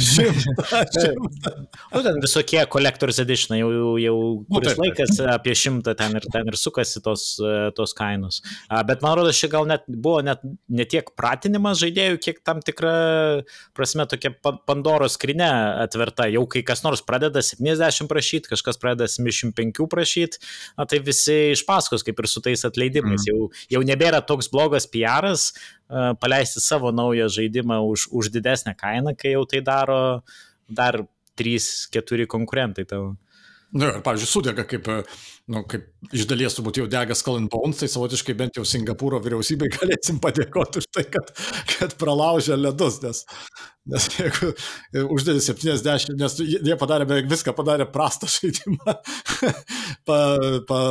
Ten visokie Collector's Edition, jau kuris laikas apie 100 ten ir sukasi tos kainos. Bet man rodos, čia gal buvo ne tiek pratinimas žaidėjų, kiek tam tikra prasme tokia Pandoros skrynia atverta. Jau kai kas nors pradeda 70 prašyti, kažkas pradeda 75 prašyti, tai visi iš paskos, kaip ir su tais atleidimais. Jau nebėra toks blogas PR-as paleisti savo naują žaidimą už didesnę kainą, kai jau tai daro dar 3-4 konkurentai tavo. Ir, pavyzdžiui, sudega, kaip iš dalies turbūt jau dega Skull and Bones, tai savotiškai bent jau Singapūro vyriausybei galėsim padėkoti už tai, kad pralaužė ledus, nes jeigu uždėdė 70, nes jie padarė beveik viską, padarė prastą žaidimą,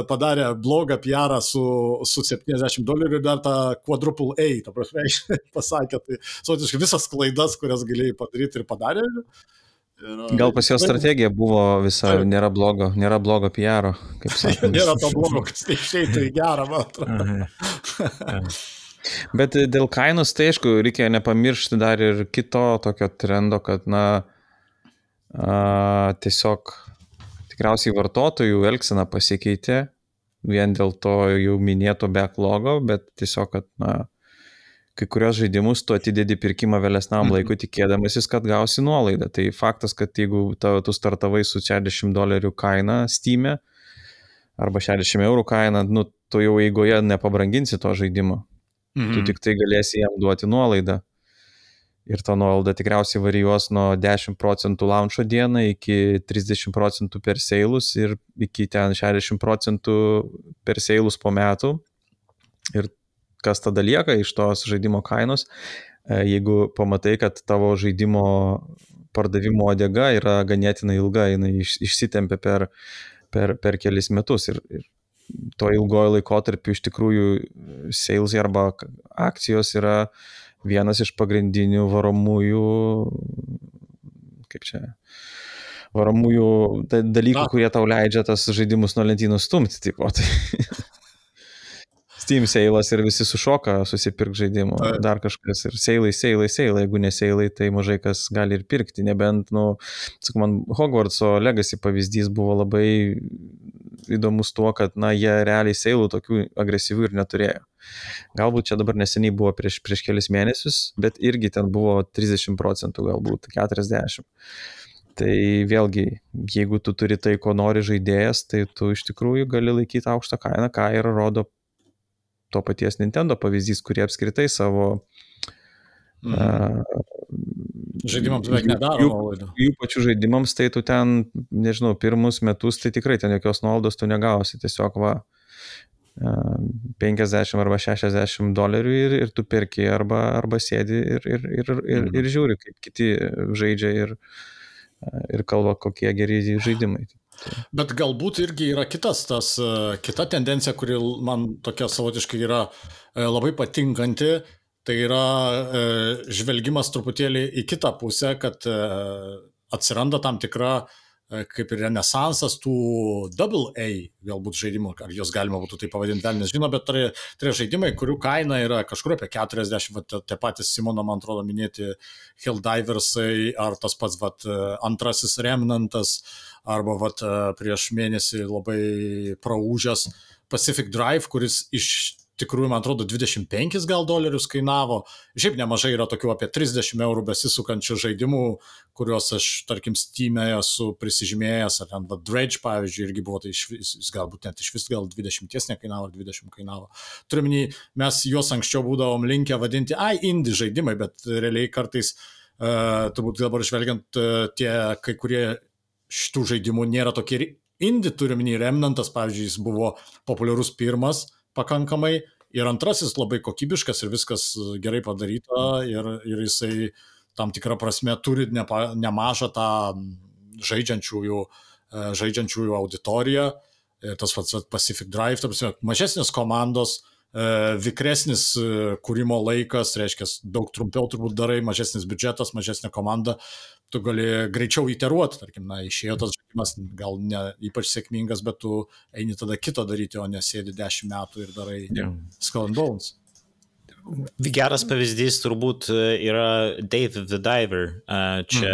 padarė blogą PR su $70 ir dar tą quadruple A, ta prasme, pasakė, tai savotiškai visas klaidas, kurias galėjai padaryti ir padarė. Gal pas jo strategija buvo visa, nėra blogo PR-o, kaip sakoma. Nėra to blogo, kas išeitų į gerą, man atrodo. Bet dėl kainos, tai aišku, reikia nepamiršti dar ir kito tokio trendo, kad, tiesiog tikriausiai vartotojų elgsena pasikeitė, vien dėl to jau minėto backlogo, bet tiesiog, kad, kai kurios žaidimus tu atidedi pirkimą vėlesnam laikui, tikėdamasis, kad gausi nuolaidą. Tai faktas, kad jeigu tu startavai su $60 kaina Steam'e arba €60 kaina, tu jau eigoje nepabranginsi to žaidimo. Tu tik tai galėsi jam duoti nuolaidą. Ir ta nuolaida tikriausiai varijuos nuo 10% launcho dieną iki 30% per seilus ir iki ten 60% per seilus po metų. Ir kas tada lieka iš tos žaidimo kainos, jeigu pamatai, kad tavo žaidimo pardavimo odega yra ganėtinai ilga, jinai išsitempia per kelis metus ir to ilgojo laikotarpiu iš tikrųjų sales arba akcijos yra vienas iš pagrindinių varomųjų dalykų, kurie tau leidžia tas žaidimus nuo lentynų stumti. Tipo, tai Steam seilas ir visi sušoka susipirk žaidimų, dar kažkas ir seilai, jeigu ne seilai, tai mažai kas gali ir pirkti, nebent, man Hogwartso Legacy pavyzdys buvo labai įdomus tuo, kad, jie realiai seilų tokių agresyvių ir neturėjo. Galbūt čia dabar neseniai buvo prieš kelis mėnesius, bet irgi ten buvo 30%, galbūt 40%. Tai vėlgi, jeigu tu turi tai, ko nori žaidėjas, tai tu iš tikrųjų gali laikyti aukštą kainą, ką ir rodo to paties Nintendo pavyzdys, kurie apskritai savo žaidimams beveik nedaro nuolaidų. Jų pačių žaidimams, tai tu ten, nežinau, pirmus metus, tai tikrai ten jokios nuolaidos tu negausi, tiesiog $50 arba $60 ir tu perki arba sėdi ir žiūri, kaip kiti žaidžia ir kalba, kokie geri žaidimai. Bet galbūt irgi yra kita tendencija, kuri man tokia savotiškai yra labai patinkanti, tai yra žvelgimas truputėlį į kitą pusę, kad atsiranda tam tikra kaip ir renesansas tų AA galbūt žaidimų, ar jos galima būtų tai pavadinti, velnias žino, bet tai žaidimai, kurių kaina yra kažkur apie 40, tie patys Simono, man atrodo, minėti Helldiversai, ar tas pats antrasis Remnantas, arba prieš mėnesį labai praūžęs Pacific Drive, kuris iš tikrųjų, man atrodo, $25 kainavo. Šiaip nemažai yra tokių apie €30 besisukančių žaidimų, kuriuos aš, tarkim, Steam'e esu prisižymėjęs, ar ten Dredge, pavyzdžiui, irgi buvo, tai jis galbūt net iš vis gal 20 nekainavo, ar 20 kainavo. Turiuomenį, mes juos anksčiau būdavom linkę vadinti, indie žaidimai, bet realiai kartais, turbūt dabar žvelgiant, tie kai kurie šitų žaidimų nėra tokie indie, turiuomenį Remnantas, pavyzdžiui, jis buvo populiarus pirmas, pakankamai, ir antrasis labai kokybiškas ir viskas gerai padaryta ir jisai tam tikrą prasme turi nemažą tą žaidžiančiųjų auditoriją, tas pats Pacific Drive, mažesnės komandos, vikresnis kūrimo laikas, reiškia, daug trumpiau turbūt darai, mažesnis biudžetas, mažesnė komanda, tu gali greičiau iteruoti, tarkim, išėjo tas žaidimas, gal ne ypač sėkmingas, bet tu eini tada kito daryti, o nesėdi 10 metų ir darai Skull and Bones. Geras pavyzdys turbūt yra Dave the Diver. Čia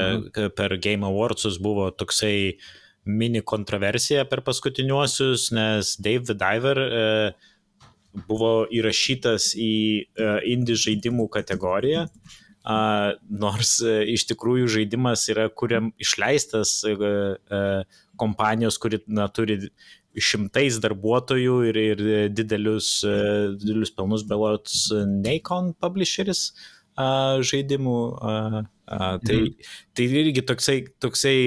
per Game Awardsus buvo toksai mini kontroversija per paskutiniuosius, nes Dave the Diver buvo įrašytas į indie žaidimų kategoriją, nors iš tikrųjų žaidimas yra išleistas kompanijos, kuri turi šimtais darbuotojų ir didelius pelnus, belots Nacon Publisheris žaidimų. Tai irgi toksai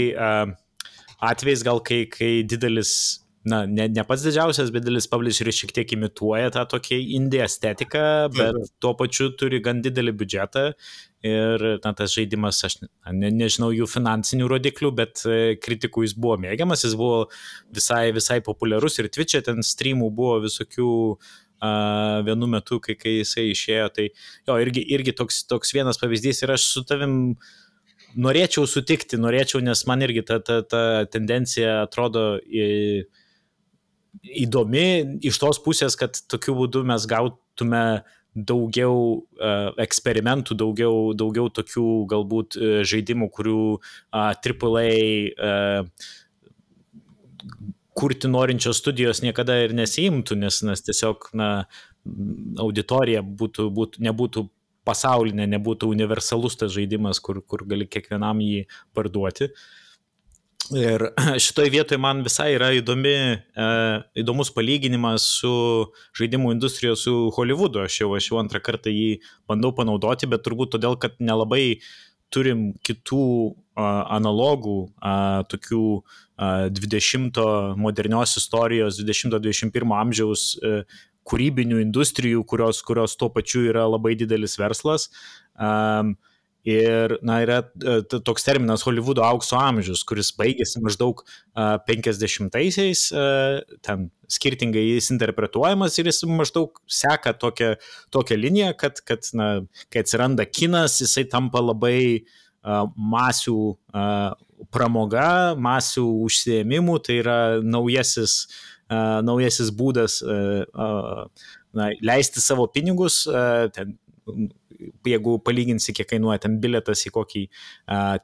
atvejs gal, kai didelis, ne pats didžiausias, bet didelis publisheris šiek tiek imituoja tą tokį indie estetiką, bet tuo pačiu turi gan didelį biudžetą ir tas žaidimas, aš nežinau jų finansinių rodiklių, bet kritikų jis buvo mėgiamas, jis buvo visai populiarus ir Twitch'e ten streamų buvo visokių vienu metu, kai jisai išėjo, tai jo, irgi toks vienas pavyzdys ir aš su tavim norėčiau sutikti, nes man irgi ta tendencija atrodo įdomi iš tos pusės, kad tokiu būdu mes gautume daugiau eksperimentų, daugiau tokių galbūt žaidimų, kurių AAA kurti norinčios studijos niekada ir nesiimtų, nes tiesiog auditorija nebūtų pasaulinė, nebūtų universalus tas žaidimas, kur gali kiekvienam jį parduoti. Ir šitoj vietoje man visai yra įdomus palyginimas su žaidimų industrijos su Hollywoodu. Aš jau antrą kartą jį bandau panaudoti, bet turbūt todėl, kad nelabai turim kitų analogų, tokių 20 modernios istorijos, 20-21 amžiaus kūrybinių industrijų, kurios tuo pačiu yra labai didelis verslas. Ir yra toks terminas Hollywoodo aukso amžius, kuris baigėsi maždaug 50-aisiais, ten skirtingai jis interpretuojamas ir jis maždaug seka tokią liniją, kad kai atsiranda kinas, jisai tampa labai masių pramoga, masių užsiėmimų, tai yra naujasis būdas leisti savo pinigus, ten jeigu palyginsi, kiek kainuoja ten bilietas į kokį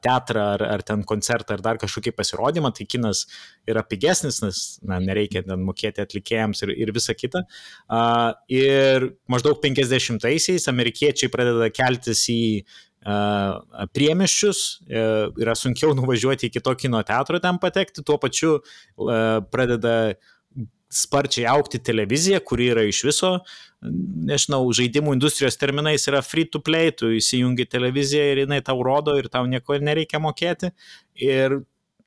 teatrą ar ten koncertą ar dar kažkokį pasirodymą, tai kinas yra pigesnis, nes nereikia ten mokėti atlikėjams ir visa kita. Ir maždaug 50-aisiais amerikiečiai pradeda keltis į priemiesčius, yra sunkiau nuvažiuoti iki to kino teatro ten patekti, tuo pačiu pradeda sparčiai augti televizija, kuri yra iš viso, nežinau, žaidimų industrijos terminais yra free to play, tu įsijungi televiziją ir jinai tau rodo ir tau nieko nereikia mokėti. Ir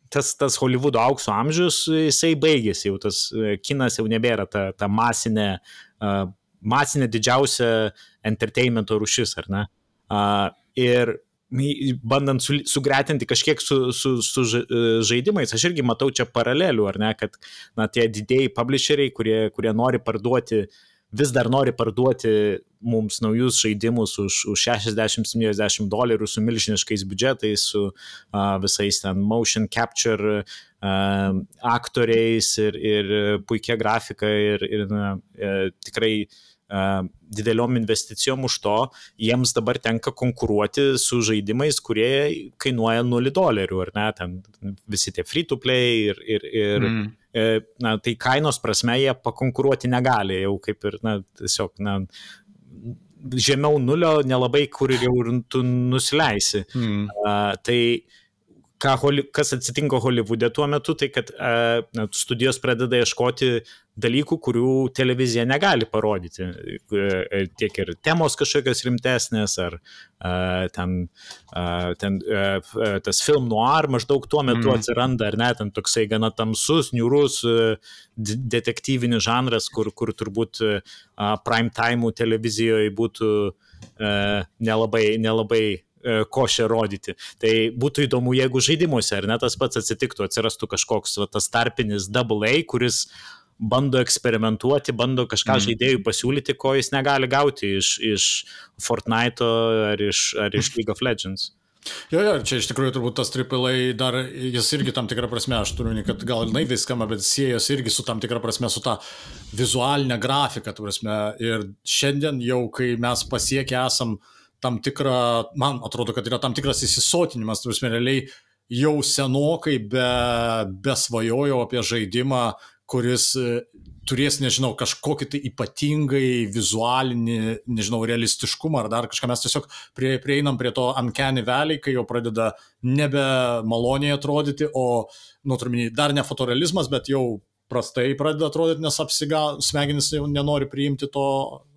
tas Hollywoodo aukso amžius, jisai baigėsi, jau tas kinas jau nebėra ta masinė didžiausia entertainmento rūšis, ar ne? Ir bandant sugretinti kažkiek su žaidimais, aš irgi matau čia paralelių, ar ne, kad tie didėjai publisheriai, kurie nori parduoti, vis dar nori parduoti mums naujus žaidimus už $60-70 su milžiniškais biudžetais, su visais ten motion capture aktoriais ir puikia grafika ir tikrai dideliom investicijom už to, jiems dabar tenka konkuruoti su žaidimais, kurie kainuoja $0, ar ne, ten visi tie free to play ir tai kainos prasme jie pakonkuruoti negali, jau kaip ir, tiesiog, žemiau nulio nelabai kur jau tu nusileisi. Tai kas atsitinka Hollywoode tuo metu, tai kad studijos pradeda ieškoti dalykų, kurių televizija negali parodyti. Tiek ir temos kažkokios rimtesnės, ar tas film noir maždaug tuo metu atsiranda, ar ne, ten toksai gana tamsus, niūrus detektyvinis žanras, kur turbūt prime time televizijoje būtų nelabai košę rodyti. Tai būtų įdomu, jeigu žaidimuose, ar ne, tas pats atsitiktų, atsirastų kažkoks tas tarpinis AA, kuris bando eksperimentuoti, bando kažką žaidėjų pasiūlyti, ko jis negali gauti iš Fortnite'o ar iš League of Legends. Jo, čia iš tikrųjų turbūt tas AAA dar, jis irgi tam tikrą prasme, aš turiu, kad gal naiviai skamba, bet siejos irgi su tam tikrą prasme, su ta vizualinė grafika, ta prasme. Ir šiandien jau, kai mes pasiekę esam tam tikrą, man atrodo, kad yra tam tikras įsisotinimas, tu prasme, realiai jau senokai besvajojau apie žaidimą, kuris turės, nežinau, kažkokį tai ypatingai vizualinį, nežinau, realistiškumą ar dar kažką. Mes tiesiog prieinam prie to uncanny valley, kai jau pradeda nebe maloniai atrodyti, o, dar ne fotorealizmas, bet jau prastai pradeda atrodyti, nes smegenys jau nenori priimti to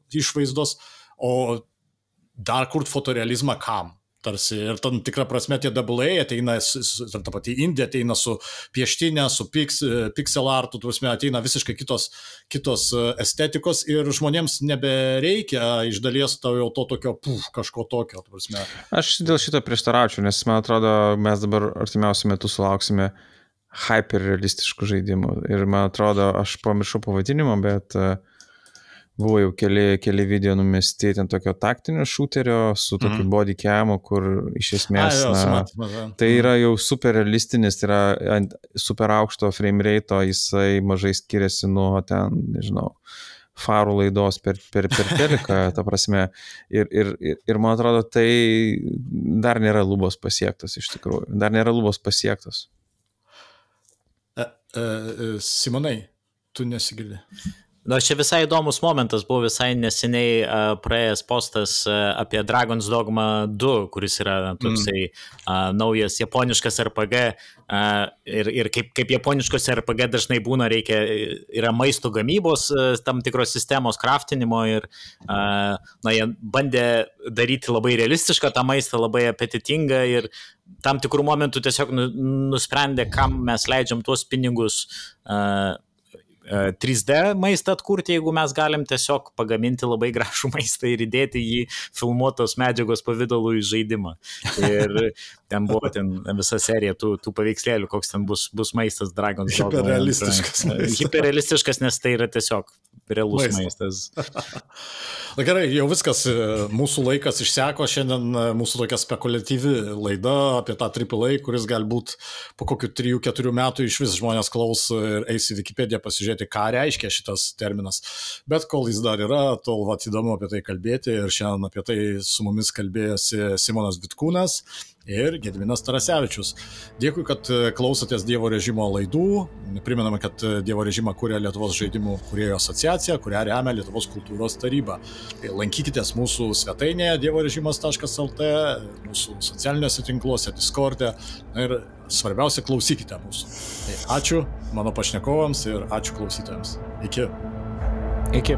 išvaizdos, o dar kurt fotorealizmą kam? Tarsi, ir tam tikrą prasme tie AA ateina, ta pati Indija ateina su pieštinė, su pixel artu, ateina visiškai kitos estetikos ir žmonėms nebereikia iš dalies jau to tokio kažko tokio. Aš dėl šito prieštaraučiau, nes man atrodo, mes dabar artimiausiu metu sulauksime hyperrealistiškų žaidimų ir man atrodo, aš pamiršau pavadinimą, bet buvo jau keli video numesti ten tokio taktinio šūterio su tokiu body camu, kur iš esmės tai yra jau super realistinis, tai yra super aukšto frame rate, jisai mažai skiriasi nuo ten, nežinau, farų laidos per teliką, ta prasme, ir man atrodo, tai dar nėra lubos pasiektas iš tikrųjų, dar nėra lubos pasiektas. Simonai, tu nesigirdi. Čia visai įdomus momentas, buvo visai neseniai praėjęs postas apie Dragon's Dogma 2, kuris yra toksai naujas japoniškas RPG ir kaip japoniškos RPG dažnai būna, yra maisto gamybos tam tikros sistemos kraftinimo ir jie bandė daryti labai realistišką tą maistą, labai apetitingą ir tam tikrų momentų tiesiog nusprendė, kam mes leidžiam tuos pinigus 3D maistą atkurti, jeigu mes galim tiesiog pagaminti labai gražų maistą ir įdėti jį filmuotos medžiagos pavidalu į žaidimą. Ir ten buvo visa serija tų paveikslėlių, koks ten bus maistas Dragon's Dogma. Hiperrealistiškas maistas. Hiperrealistiškas, nes tai yra tiesiog realus maistas. Na gerai, jau viskas, mūsų laikas išseko, šiandien mūsų tokia spekuliatyvi laida apie tą AAA, kuris galbūt po kokių 3-4 metų iš vis žmonės klaus ir eis į Wikipediją pasižiūrėti pasižiūrėti, ką reiškia šitas terminas. Bet kol jis dar yra, tol įdomu apie tai kalbėti ir šiandien apie tai su mumis kalbėjosi Simonas Vitkūnas ir Gediminas Tarasevičius. Dėkui, kad klausotės Dievo režimo laidų. Primename, kad Dievo režimą kuria Lietuvos žaidimų kūrėjų asociacija, kurią remia Lietuvos kultūros taryba. Lankykitės mūsų svetainėje dievorežimas.lt, mūsų socialiniuose tinkluose, Discord'e ir svarbiausia, klausykite mūsų. Tai ačiū mano pašnekovams ir ačiū klausytojams. Iki. Iki.